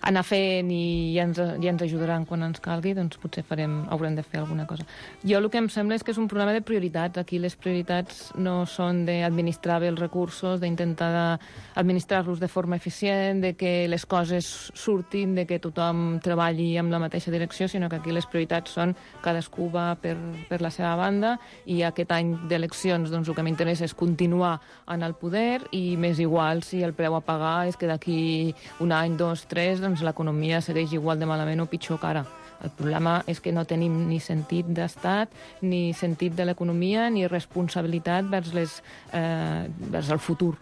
anar fent i ja ens ajudaran quan ens calgui, doncs potser haurem de fer alguna cosa. Jo el que em sembla és que és un problema de prioritats. Aquí les prioritats no són d'administrar bé els recursos, d'intentar administrar-los de forma eficient, de que les coses surtin, de que tothom treballi amb la mateixa direcció, sinó que aquí les prioritats són cadascú va per la seva banda i aquest any d'eleccions doncs, el que m'interessa és continuar en el poder i m'és igual si el preu a pagar és que d'aquí un any, 2, 3, doncs l'economia segueix igual de malament o pitjor que ara. El problema és que no tenim ni sentit d'estat, ni sentit de l'economia, ni responsabilitat vers el futur.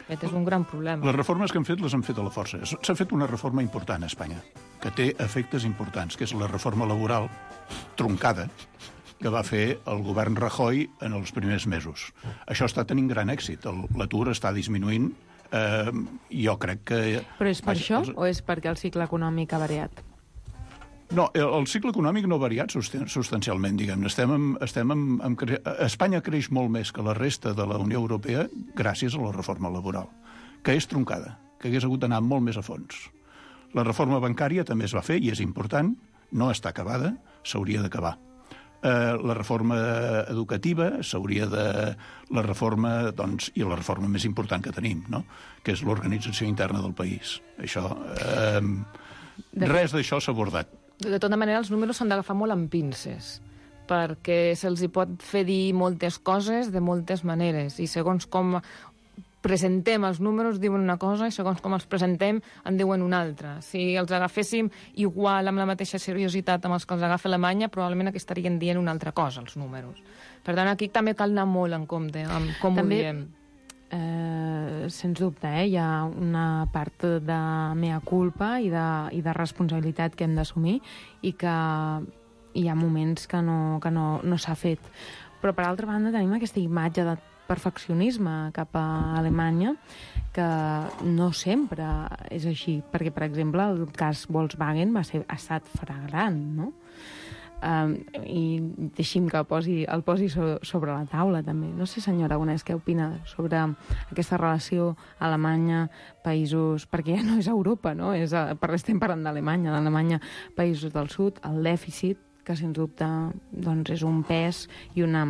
Aquest és un gran problema. Les reformes que han fet les han fet a la força. S'ha fet una reforma important a Espanya, que té efectes importants, que és la reforma laboral troncada que va fer el govern Rajoy en els primers mesos. Això està tenint gran èxit. L'atur està disminuint. Jo crec que... Però és per això o és perquè el cicle econòmic ha variat? No, el cicle econòmic no ha variat substancialment, diguem-ne. Espanya creix molt més que la resta de la Unió Europea gràcies a la reforma laboral, que és troncada, que hagués hagut d'anar molt més a fons. La reforma bancària també es va fer i és important, no està acabada, s'hauria d'acabar. La reforma educativa s'hauria de... La reforma, doncs, i la reforma més important que tenim, no?, que és l'organització interna del país. Això... Res d'això s'ha abordat. De tota manera, els números s'han d'agafar molt amb pinces, perquè se'ls hi pot fer dir moltes coses de moltes maneres, i segons com presentem els números diuen una cosa i segons com els presentem en diuen una altra. Si els agaféssim igual amb la mateixa seriositat amb els que els agafa Alemanya, probablement aquí estarien dient una altra cosa, els números. Per tant, aquí també cal anar molt en compte amb com ho diem. Sens dubte, hi ha una part de mea culpa i de responsabilitat que hem d'assumir i que hi ha moments que no s'ha fet. Però, per altra banda, tenim aquesta imatge de perfeccionisme cap a Alemanya que no sempre és així, perquè, per exemple, el cas Volkswagen ha estat flagrant, no? I deixi'm que el posi sobre la taula, també. No sé, senyor Aragonès, què opina sobre aquesta relació Alemanya-països... Perquè ja no és Europa, no? Estem parlant d'Alemanya, països del sud, el dèficit, que, sens dubte, doncs és un pes i una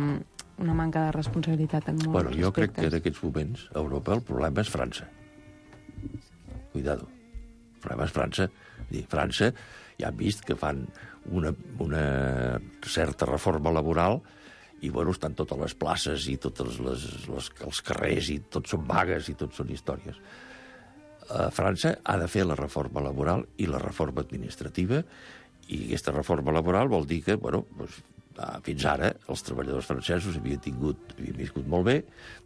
manca de responsabilitat en molts aspectes. Jo crec que en aquests moments a Europa el problema és França. Cuidado. El problema és França. França ja han vist que fan una certa reforma laboral i, estan totes les places i tots els carrers i tots són vagues i tots són històries. França ha de fer la reforma laboral i la reforma administrativa i aquesta reforma laboral vol dir que, fins ara els treballadors francesos havien viscut molt bé,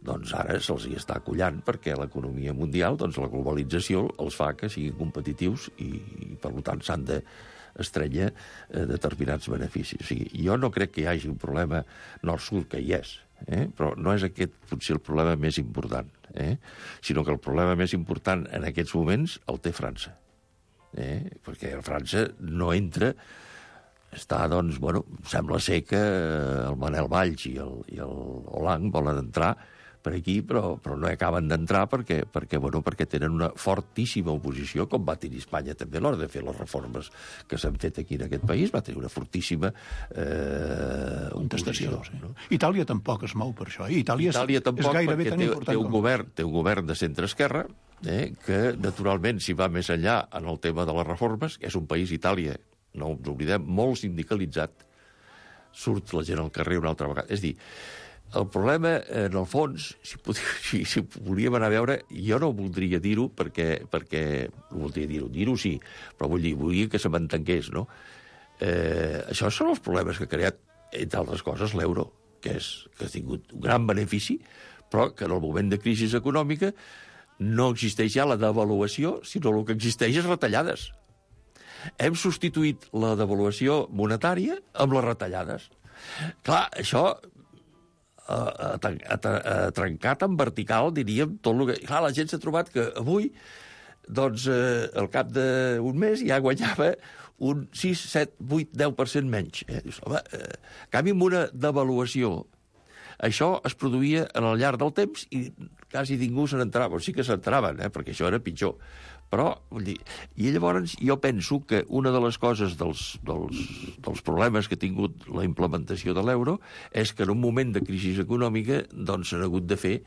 doncs ara se'ls hi està acollant perquè l'economia mundial, doncs la globalització els fa que siguin competitius i per tant s'han d'estrènyer determinats beneficis. O sigui, jo no crec que hi hagi un problema nord-sud, que hi és, però no és aquest potser el problema més important, sinó que el problema més important en aquests moments el té França, perquè França no entra. Està, doncs, sembla ser que el Manel Valls i el Hollande volen entrar per aquí, però no acaben d'entrar perquè tenen una fortíssima oposició, com va tenir Espanya també a l'hora de fer les reformes que s'han fet aquí en aquest país, va tenir una fortíssima contestació. No? Itàlia tampoc es mou per això. Itàlia tampoc, és gairebé tan important. Té un govern de centre-esquerra que, naturalment, si va més enllà en el tema de les reformes, és un país, Itàlia, no ens oblidem, molt sindicalitzat, surt la gent al carrer una altra vegada. És a dir, el problema, en el fons, si volíem anar a veure, jo no voldria dir-ho perquè no voldria dir-ho sí, però volia que se m'entengués, no? Això són els problemes que ha creat, entre altres coses, l'euro, que ha tingut un gran benefici, però que en el moment de crisi econòmica no existeix ja la devaluació, sinó el que existeix és retallades. Hem substituït la devaluació monetària amb les retallades. Clar, això ha trencat en vertical, diríem, tot el que... Clar, la gent s'ha trobat que avui, doncs, al cap d'un mes ja guanyava un 6, 7, 8, 10% menys. Dius, home, canvi amb una devaluació això es produïa al llarg del temps i quasi ningú se n'entrava. O sí que s'entraven, perquè això era pitjor. Però, vull dir, i llavors jo penso que una de les coses dels problemes que ha tingut la implementació de l'euro és que en un moment de crisi econòmica doncs s'han hagut de fer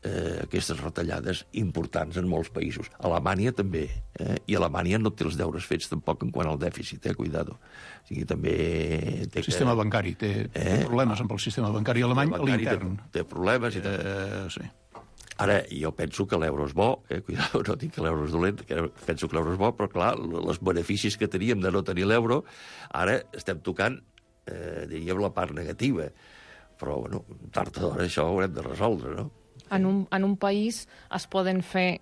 aquestes retallades importants en molts països. Alemanya també, i Alemanya no té els deures fets tampoc en quant al dèficit, cuidado. O sigui, també... El sistema bancari té problemes amb el sistema bancari alemany a l'intern. Té problemes i sí. Ara, jo penso que l'euro és bo, cuidado, no dic que l'euro és dolent, penso que l'euro és bo, però clar, els beneficis que teníem de no tenir l'euro, ara estem tocant, diríem, la part negativa. Però, bueno, tard o d'hora això ho haurem de resoldre, no? En un país es poden fer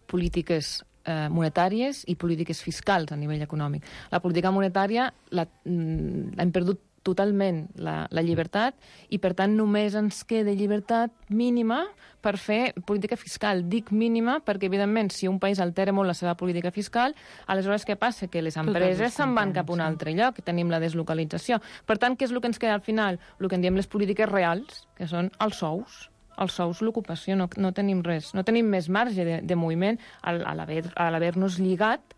polítiques monetàries i polítiques fiscals a nivell econòmic. La política monetària hem perdut totalment la llibertat i, per tant, només ens queda llibertat mínima per fer política fiscal. Dic mínima perquè, evidentment, si un país altera molt la seva política fiscal, aleshores què passa? Que les empreses se'n van cap a un altre lloc i tenim la deslocalització. Per tant, què és el que ens queda al final? El que en diem les polítiques reals, que són els sous. Els sous, l'ocupació, no tenim res. No tenim més marge de moviment a l'haver-nos lligat,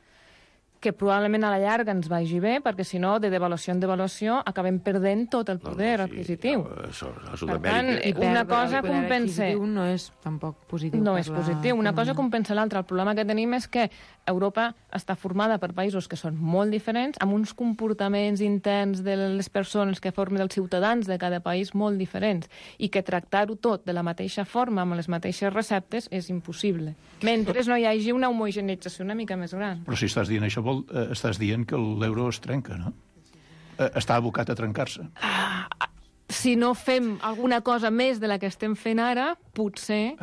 que probablement a la llarga ens vagi bé, perquè si no, de devaluació en devaluació, acabem perdent tot el poder adquisitiu. Per tant, una cosa compensa... no és tampoc positiu. No és positiu. Una cosa compensa l'altra. El problema que tenim és que Europa està formada per països que són molt diferents, amb uns comportaments interns de les persones que formen els ciutadans de cada país molt diferents, i que tractar-ho tot de la mateixa forma, amb les mateixes receptes, és impossible. Mentre no hi hagi una homogeneïtzació una mica més gran. Però si estàs dient això, estàs dient que l'euro es trenca, no? Està abocat a trencar-se. Si no fem alguna cosa més de la que estem fent ara, potser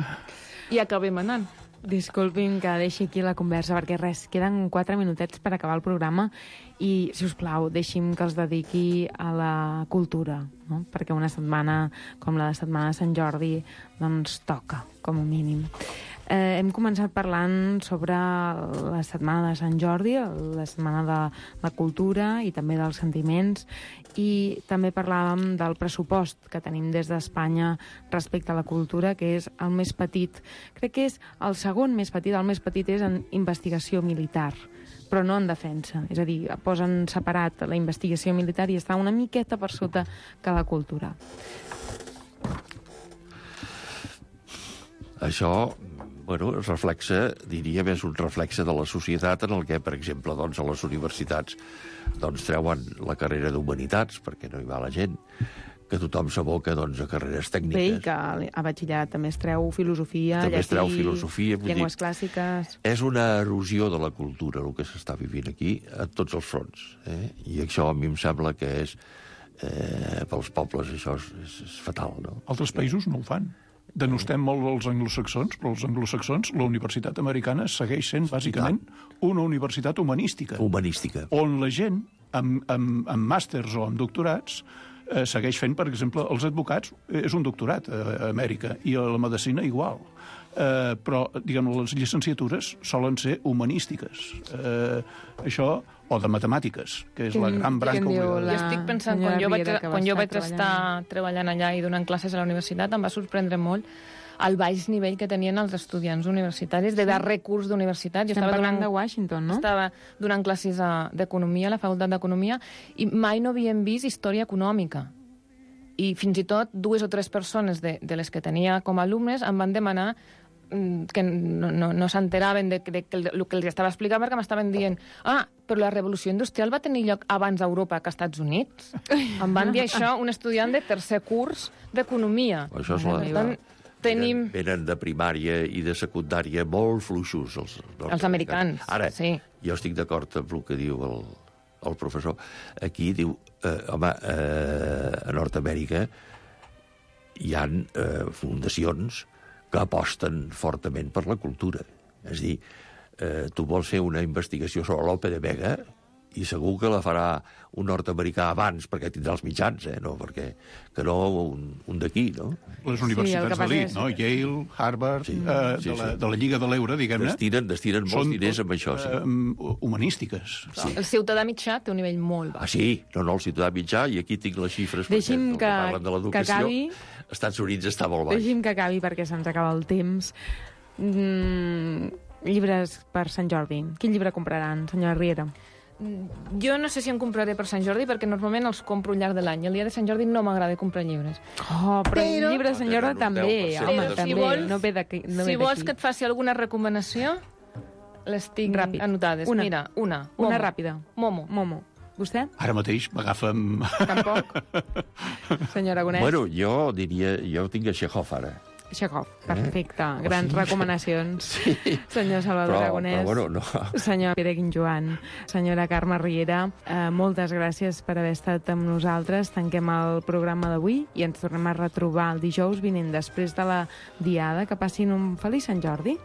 hi acabem anant. Disculpin que deixi aquí la conversa, perquè res, queden 4 minutets per acabar el programa i, si us plau, deixi'm que els dediqui a la cultura, no? Perquè una setmana com la de Setmana de Sant Jordi doncs toca, com a mínim. Hem començat parlant sobre la Setmana de Sant Jordi, la Setmana de la Cultura i també dels sentiments, i també parlàvem del pressupost que tenim des d'Espanya respecte a la cultura, que és el més petit. Crec que és el segon més petit, el més petit és en investigació militar, però no en defensa. És a dir, posen separat la investigació militar i està una miqueta per sota que la cultura. Això, bueno, es reflexa, diríem, és un reflexe de la societat en el que, per exemple, doncs, a les universitats doncs, treuen la carrera d'Humanitats, perquè no hi va la gent, que tothom s'aboca doncs, a carreres tècniques. Bé, i que a batxillerat també es treu filosofia, també es treu filosofia, llengües clàssiques... És una erosió de la cultura, el que s'està vivint aquí, a tots els fronts. I això a mi em sembla que és, pels pobles, això és fatal, no? Altres països no ho fan. Denostem molt els anglosaxons, però els anglosaxons, la universitat americana segueix sent, bàsicament, una universitat humanística. Humanística. On la gent, amb màsters o amb doctorats, segueix fent, per exemple, els advocats, és un doctorat a Amèrica, i a la medicina igual. Però, diguem, les llicenciatures solen ser humanístiques. Això, o de matemàtiques, que és la gran branca obligada. Jo estic pensant, quan jo vaig estar treballant allà i donant classes a la universitat, em va sorprendre molt el baix nivell que tenien els estudiants universitaris de darrer curs d'universitat. Estem parlant de Washington, no? Estava donant classes d'economia, a la facultat d'economia, i mai no havíem vist història econòmica. I fins i tot 2 o 3 persones de les que tenia com a alumnes em van demanar que no s'enteraven del que els estava explicant, perquè m'estaven dient però la revolució industrial va tenir lloc abans a Europa que als Estats Units. Em van dir això un estudiant de tercer curs d'economia. Això és venen de primària i de secundària molt fluixos, els americans. Ara, sí. Jo estic d'acord amb el que diu el professor. Aquí diu, home, a Nord-Amèrica hi ha fundacions que aposten fortament per la cultura. És a dir, tu vols fer una investigació sobre l'Ope de Vega I segur que la farà un nord-americà abans, perquè tindrà els mitjans, no? Perquè que no un d'aquí, no? Les universitats d'elit, no? Yale, Harvard, de la Lliga de l'Euro, diguem-ne. Destinen molts diners amb això, sí. Humanístiques. Sí. El ciutadà mitjà té un nivell molt baix. Sí, no, el ciutadà mitjà, i aquí tinc les xifres, perquè que parlen de l'educació. Als Estats Units està molt baix. Deixi'm que acabi perquè se'ns acaba el temps. Llibres per Sant Jordi. Quin llibre compraran, senyora Riera? Jo no sé si en compraré per Sant Jordi, perquè normalment els compro al llarg de l'any. El dia de Sant Jordi no m'agrada comprar llibres. Però el llibre de Sant Jordi també, home, també. No ve d'aquí. Si vols que et faci alguna recomanació, les tinc anotades. Mira, una ràpida. Momo. Vostè? Ara mateix m'agafa'm... Tampoc? Senyora Aragonès? Bueno, jo diria... Jo tinc a Chekhov, ara. Chekhov, perfecte. Grans recomanacions. Sí. Senyor Salvador Aragonès. Però bueno, no. Senyor Pere Guinjoan. Senyora Carme Riera, moltes gràcies per haver estat amb nosaltres. Tanquem el programa d'avui i ens tornem a retrobar el dijous vinent després de la Diada. Que passin un feliç Sant Jordi.